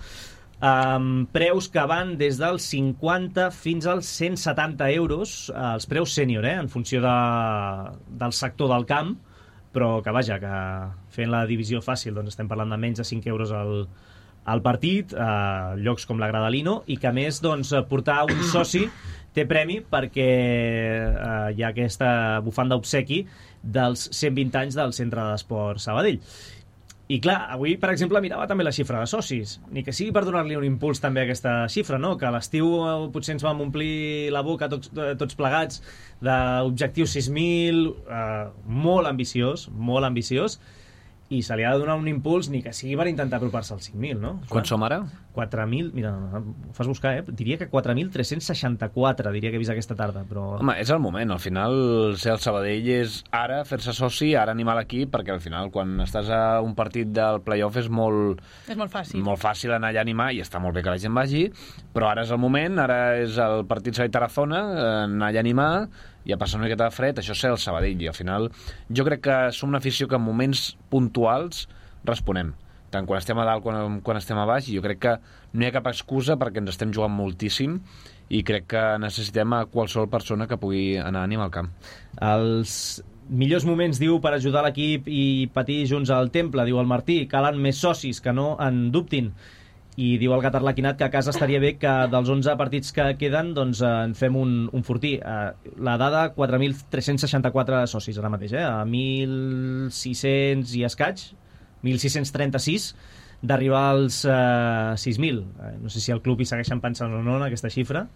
S1: preus que van des dels 50 fins als 170 euros, els preus sènior, en funció del sector del camp, però que vaja, que fent la divisió fàcil doncs estem parlant de menys de 5 euros al partit, llocs com la Gradalino, i que a més doncs, portar un soci té premi perquè hi ha aquesta bufanda obsequi dels 120 anys del Centre d'Esport Sabadell. I clar, avui, per exemple, mirava també la xifra de socis, ni que sigui per donar-li un impuls també a aquesta xifra, no? Que a l'estiu potser ens vam omplir la boca tots plegats d'objectiu 6.000, molt ambiciós, i se li ha de donar un impuls ni que sigui per intentar apropar-se als 5.000, no?
S3: Quan som ara?
S1: 4.000, mira, ho fas buscar, diria que 4.364, diria que he vist aquesta tarda, però...
S3: Home, és el moment, al final ser el Sabadell és ara fer-se soci, ara animar l'equip, perquè al final quan estàs a un partit del play-off és molt
S2: fàcil.
S3: Molt fàcil anar allà a animar, i està molt bé que la gent vagi, però ara és el moment, ara és el partit Sabadell-Tarazona, anar allà a animar, i a passar una miqueta de fred, això és ser el Sabadell, i al final jo crec que som una afició que en moments puntuals responem, tant quan estem a dalt com quan estem a baix, i jo crec que no hi ha cap excusa perquè ens estem jugant moltíssim, i crec que necessitem a qualsevol persona que pugui anar a animar al camp.
S1: Els millors moments, diu, per ajudar l'equip i patir junts al temple, diu el Martí, calen més socis, que no en dubtin. I diu el Gat Arlequinat que a casa estaria bé que dels 11 partits que queden doncs en fem un fortí. La dada, 4.364 socis ara mateix, a 1.600 i escaig, 1.636, d'arribar als 6.000. No sé si el club hi segueixen pensant o no en aquesta xifra,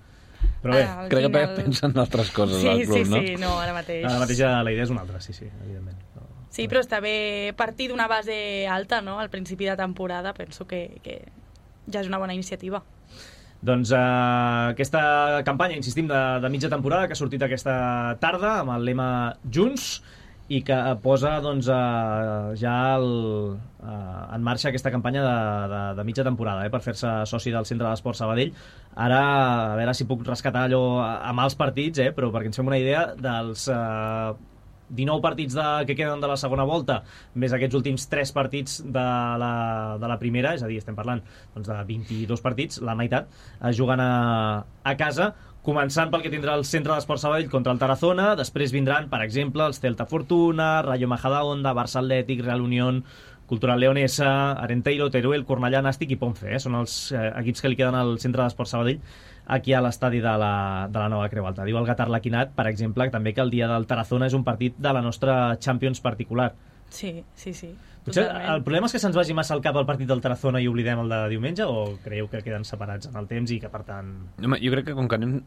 S1: però bé.
S3: Crec que pensen en altres coses al club, no?
S2: Sí, no, ara mateix.
S1: Ara mateix la idea és una altra, sí, evidentment.
S2: Sí, però està bé partir d'una base alta, no?, al principi de temporada, penso que ja és una bona iniciativa.
S1: Doncs aquesta campanya, insistim, de mitja temporada que ha sortit aquesta tarda amb el lema Junts, i que posa doncs, ja en marxa aquesta campanya de mitja temporada per fer-se soci del Centre d'Esport Sabadell. Ara, a veure si puc rescatar allò a mals partits, però perquè ens fem una idea dels 19 partits que queden de la segona volta, més aquests últims 3 partits de la primera, és a dir, estem parlant doncs, de 22 partits, la meitat, es juguen a casa, començant pel que tindrà el Centre d'Esport Sabadell contra el Tarazona, després vindran, per exemple, els Celta Fortuna, Rayo Majadahonda, Barça Atlètic, Real Unión, Cultural Leonesa, Arenteiro, Teruel, Cornellà, Nàstic i Ponce. Són els equips que li queden al Centre d'Esport Sabadell aquí a l'estadi de la Nova Creu Alta. Diu el Gat Arlequinat, per exemple, també que el dia del Tarazona és un partit de la nostra Champions particular.
S2: Sí.
S1: Potser el problema és que se'ns vagi massa al cap el partit del Tarazona i oblidem el de diumenge, o creieu que queden separats en el temps i que, per tant...
S3: Home, jo crec que com que anem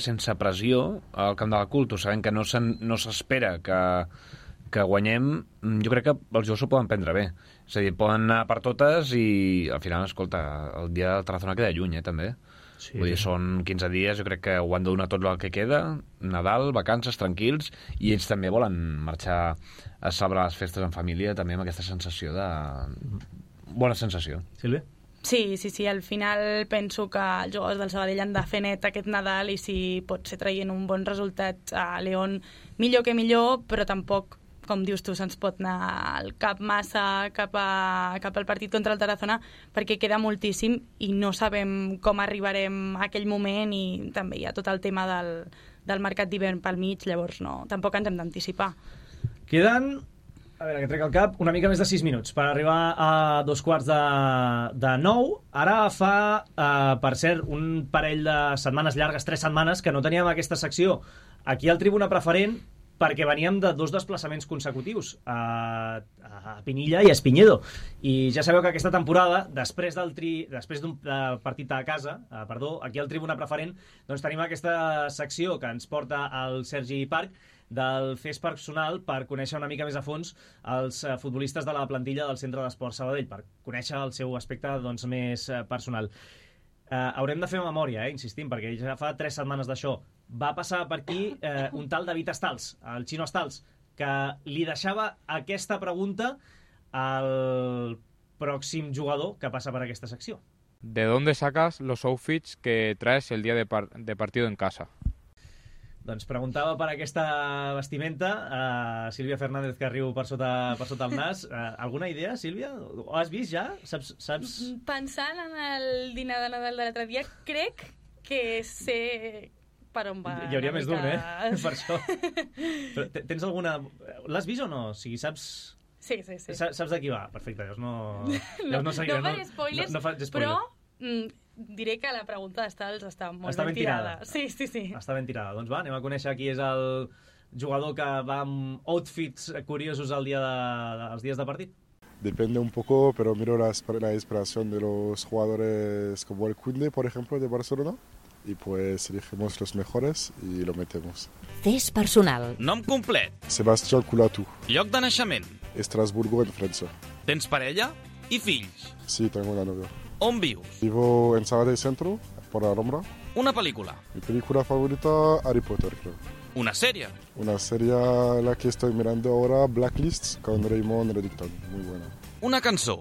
S3: sense pressió al camp de la Culto, sabem que no s'espera que guanyem, jo crec que els jugadors s'ho poden prendre bé. És a dir, poden anar per totes i al final, escolta, el dia del Tarazona queda lluny, també. Sí. Vull dir, són 15 dies, jo crec que ho han de donar tot el que queda, Nadal, vacances, tranquils, i ells també volen marxar a celebrar les festes en família, també amb aquesta sensació de... bona sensació.
S1: Sílvia?
S2: Sí, al final penso que els jugadors del Sabadell han de fer net aquest Nadal, i si pot ser traient un bon resultat a León, millor que millor, però tampoc, com dius tu, se'ns pot anar al cap massa cap al partit contra el Tarazona, perquè queda moltíssim i no sabem com arribarem a aquell moment, i també hi ha tot el tema del mercat d'hivern pel mig, llavors tampoc ens hem d'anticipar.
S1: Queden, a veure, que trec el cap, una mica més de 6 minuts per arribar a 8:45. Ara fa, per cert, un parell de setmanes llargues, 3 setmanes, que no teníem aquesta secció aquí al Tribuna Preferent, perquè veníem de 2 desplaçaments consecutius a Pinilla i a Espinyedo, i ja sabeu que aquesta temporada, després d'un partit a casa, aquí al Tribuna Preferent, doncs tenim aquesta secció que ens porta el Sergi Parc, del Fes Personal, per conèixer una mica més a fons els futbolistes de la plantilla del Centre d'Esports Sabadell, per conèixer el seu aspecte doncs, més personal. Haurem de fer memòria, insistim, perquè ja fa 3 setmanes d'això. Va passar per aquí un tal David Estals, el Xino Estals, que li deixava aquesta pregunta al pròxim jugador que passa per aquesta secció.
S10: ¿De dónde sacas los outfits que traes el día de partido en casa?
S1: Doncs preguntava per aquesta vestimenta a Sílvia Fernández, que riu per sota el nas. Alguna idea, Sílvia? Ho has vist ja? Saps?
S2: Pensant en el dinar de Nadal de l'altre dia, crec que sé per on va.
S1: Hi hauria més d'un, per això. Però tens alguna... L'has vist o no? O sigui, saps...
S2: Sí.
S1: Saps de qui va? Perfecte, llavors no...
S2: No faré spoilers,
S1: no faig
S2: però... diré que la pregunta d'Estals està molt ben tirada. Sí.
S1: Està ben tirada. Doncs va, anem a conèixer qui és el jugador que va amb outfits curiosos els dies de partit.
S11: Depende un poco, pero miro la inspiración de los jugadores como el Koundé, por ejemplo, de Barcelona, y pues elegimos los mejores y lo metemos.
S8: Fes Personal.
S12: Nom complet.
S11: Sebastián Coulatou.
S12: Lloc de naixement.
S11: Estrasburgo, en Francia.
S12: Tens parella i fills?
S11: Sí, tengo una novia.
S12: On vius?
S11: Vivo en Sabadell Centro, por Alhambra.
S12: Una pel·lícula?
S11: Mi película favorita, Harry Potter, creo.
S12: Una sèrie?
S11: Una serie la que estoy mirando ahora, Blacklist, con Raymond Reddington. Muy buena.
S12: Una cançó?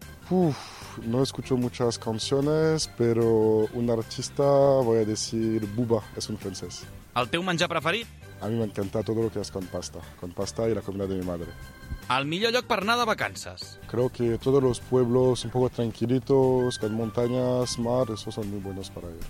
S11: No escucho muchas canciones, pero un artista, voy a decir Booba, es un francés.
S12: El teu menjar preferit?
S11: A mí me encanta todo lo que es con pasta y la comida de mi madre.
S12: El millor lloc per anar de vacances?
S11: Creo que todos los pueblos un poco tranquilitos, con montañas, mar, esos son muy buenos para ir.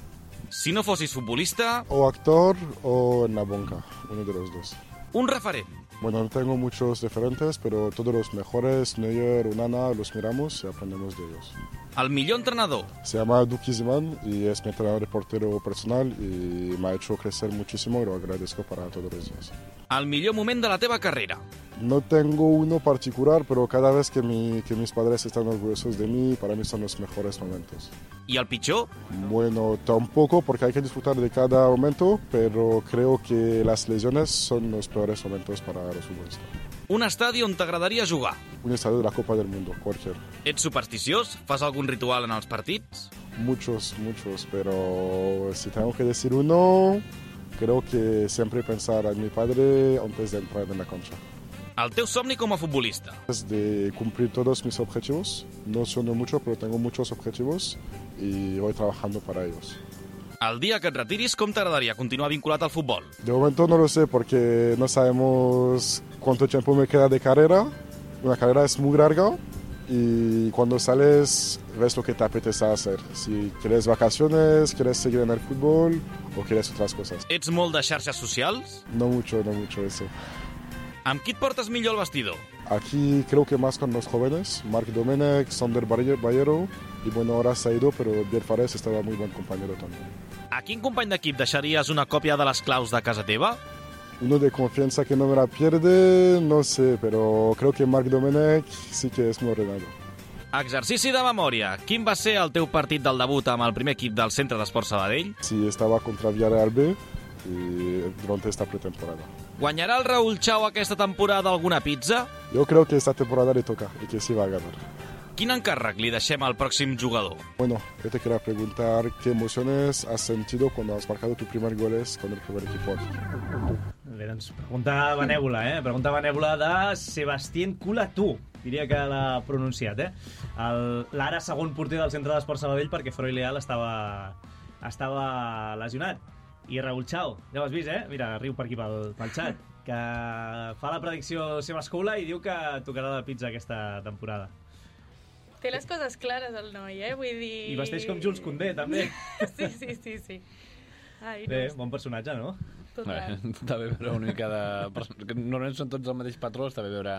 S12: Si no fossis futbolista...
S11: O actor o en la banca, uno de los dos.
S12: Un referent?
S11: Bueno, no tengo muchos referentes, pero todos los mejores, Neuer, Onana, los miramos y aprendemos de ellos.
S12: El millor entrenador?
S11: Se llama Duki Ziman y es mi entrenador de portero personal y me ha hecho crecer muchísimo y lo agradezco para todos los días.
S12: El millor moment de la teva carrera?
S11: No tengo uno particular, pero cada vez que mis padres están orgullosos de mí, para mí son los mejores momentos.
S12: ¿Y el pitjor?
S11: Bueno, tampoco, porque hay que disfrutar de cada momento, pero creo que las lesiones son los peores momentos para los futbolistas.
S12: Un estadi on t'agradaria jugar?
S11: Un estadio de la Copa del Mundo, cualquier.
S12: Ets supersticiós? Fas algun ritual en els partits?
S11: Muchos, pero si tengo que decir uno, creo que siempre pensar en mi padre antes de entrar en la cancha.
S12: El teu somni com a futbolista?
S11: Es de cumplir todos mis objetivos. No sueno mucho, pero tengo muchos objetivos y voy trabajando para ellos.
S12: El dia que et retiris, com t'agradaria continuar vinculat al futbol?
S11: De momento no lo sé porque no sabemos cuánto tiempo me queda de carrera. Una carrera es muy larga y cuando sales ves lo que te apetece hacer. Si quieres vacaciones, quieres seguir en el fútbol o quieres otras cosas.
S12: Ets molt de xarxes socials?
S11: No mucho eso.
S12: Amb qui et portes millor el vestidor?
S11: Aquí creo que más con los jóvenes, Marc Domenech, Sander Ballero, y bueno, ahora se ha ido, pero Biel Fares estaba muy buen compañero también.
S12: A quin company d'equip deixaries una còpia de les claus de casa teva?
S11: Uno de confianza que no me la pierde, no sé, pero creo que Marc Domenech sí que es muy ordenado.
S12: Exercici de memòria. Quin va ser el teu partit del debut amb el primer equip del Centre d'Esports Sabadell?
S11: Sí, estaba contra Villarreal B y durante esta pretemporada.
S12: Guanyarà el Raúl Chao aquesta temporada alguna pizza?
S11: Yo creo que esta temporada le toca y que sí va a ganar.
S12: Quin encàrrec li deixem al pròxim jugador?
S11: Bueno, yo te quería preguntar qué emociones has sentido cuando has marcado tus primer goles con el primer equipo.
S1: Bé, doncs pregunta benèvola, Pregunta benèvola de Sebastien Coulatou. Diria que l'ha pronunciat, l'ara segon porter del Centre d'Esports Sabadell, perquè Freud Leal estava lesionat. I Raúl Chao, ja ho has vist, Mira, riu per aquí pel xat, que fa la predicció seva escola i diu que tocarà la pizza aquesta temporada.
S2: Té les coses clares, el noi, vull dir...
S1: I vesteix com Jules Koundé, també.
S2: Sí. Ai,
S1: bé, bon personatge, no?
S3: Està bé veure una mica de... Normalment són tots el mateix patró, està bé veure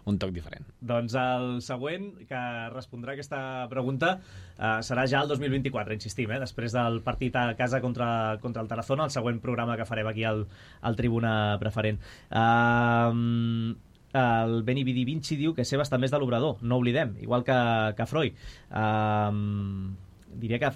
S3: un toc diferent.
S1: Doncs el següent que respondrà aquesta pregunta serà ja el 2024, insistim, després del partit a casa contra el Tarazona, el següent programa que farem aquí al Tribuna Preferent. El Beni Vidi Vinci diu que Seba està més de l'Obrador, no oblidem, igual que Freud. Diria que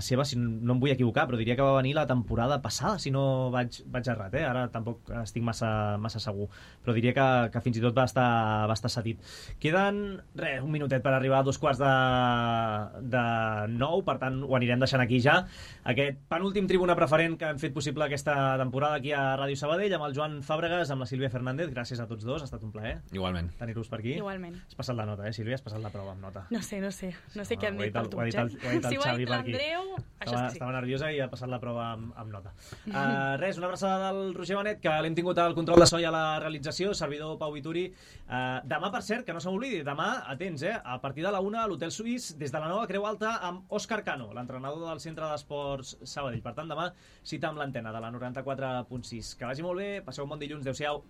S1: Seba, si no em vull equivocar, però diria que va venir la temporada passada, si no vaig errat, ara tampoc estic massa segur, però diria que fins i tot va estar cedit. Queden, un minutet per arribar a 8:45, per tant ho anirem deixant aquí ja. Aquest penúltim Tribuna Preferent que hem fet possible aquesta temporada aquí a Ràdio Sabadell, amb el Joan Fàbregas, amb la Sílvia Fernández. Gràcies a tots dos, ha estat un plaer.
S3: Igualment.
S1: Tenir-vos per aquí.
S2: Igualment.
S1: Has passat la nota, Sílvia? Has passat la prova amb nota?
S2: No sé què han dit per tu,
S1: si ho ha dit
S2: l'Andreu, això és que sí.
S1: Estava nerviosa i ha passat la prova amb nota. Una abraçada del Roger Benet, que l'hem tingut al control de so i a la realització, servidor Pau Vituri. Demà, per cert, que no se m'oblidi, demà, atents, a partir de la 1 a l'Hotel Suís, des de la nova Creu Alta, amb Òscar Cano, l'entrenador del Centre d'Esports Sabadell. Per tant, demà cita amb l'antena de la 94.6. Que vagi molt bé, passeu un bon dilluns, adéu-siau.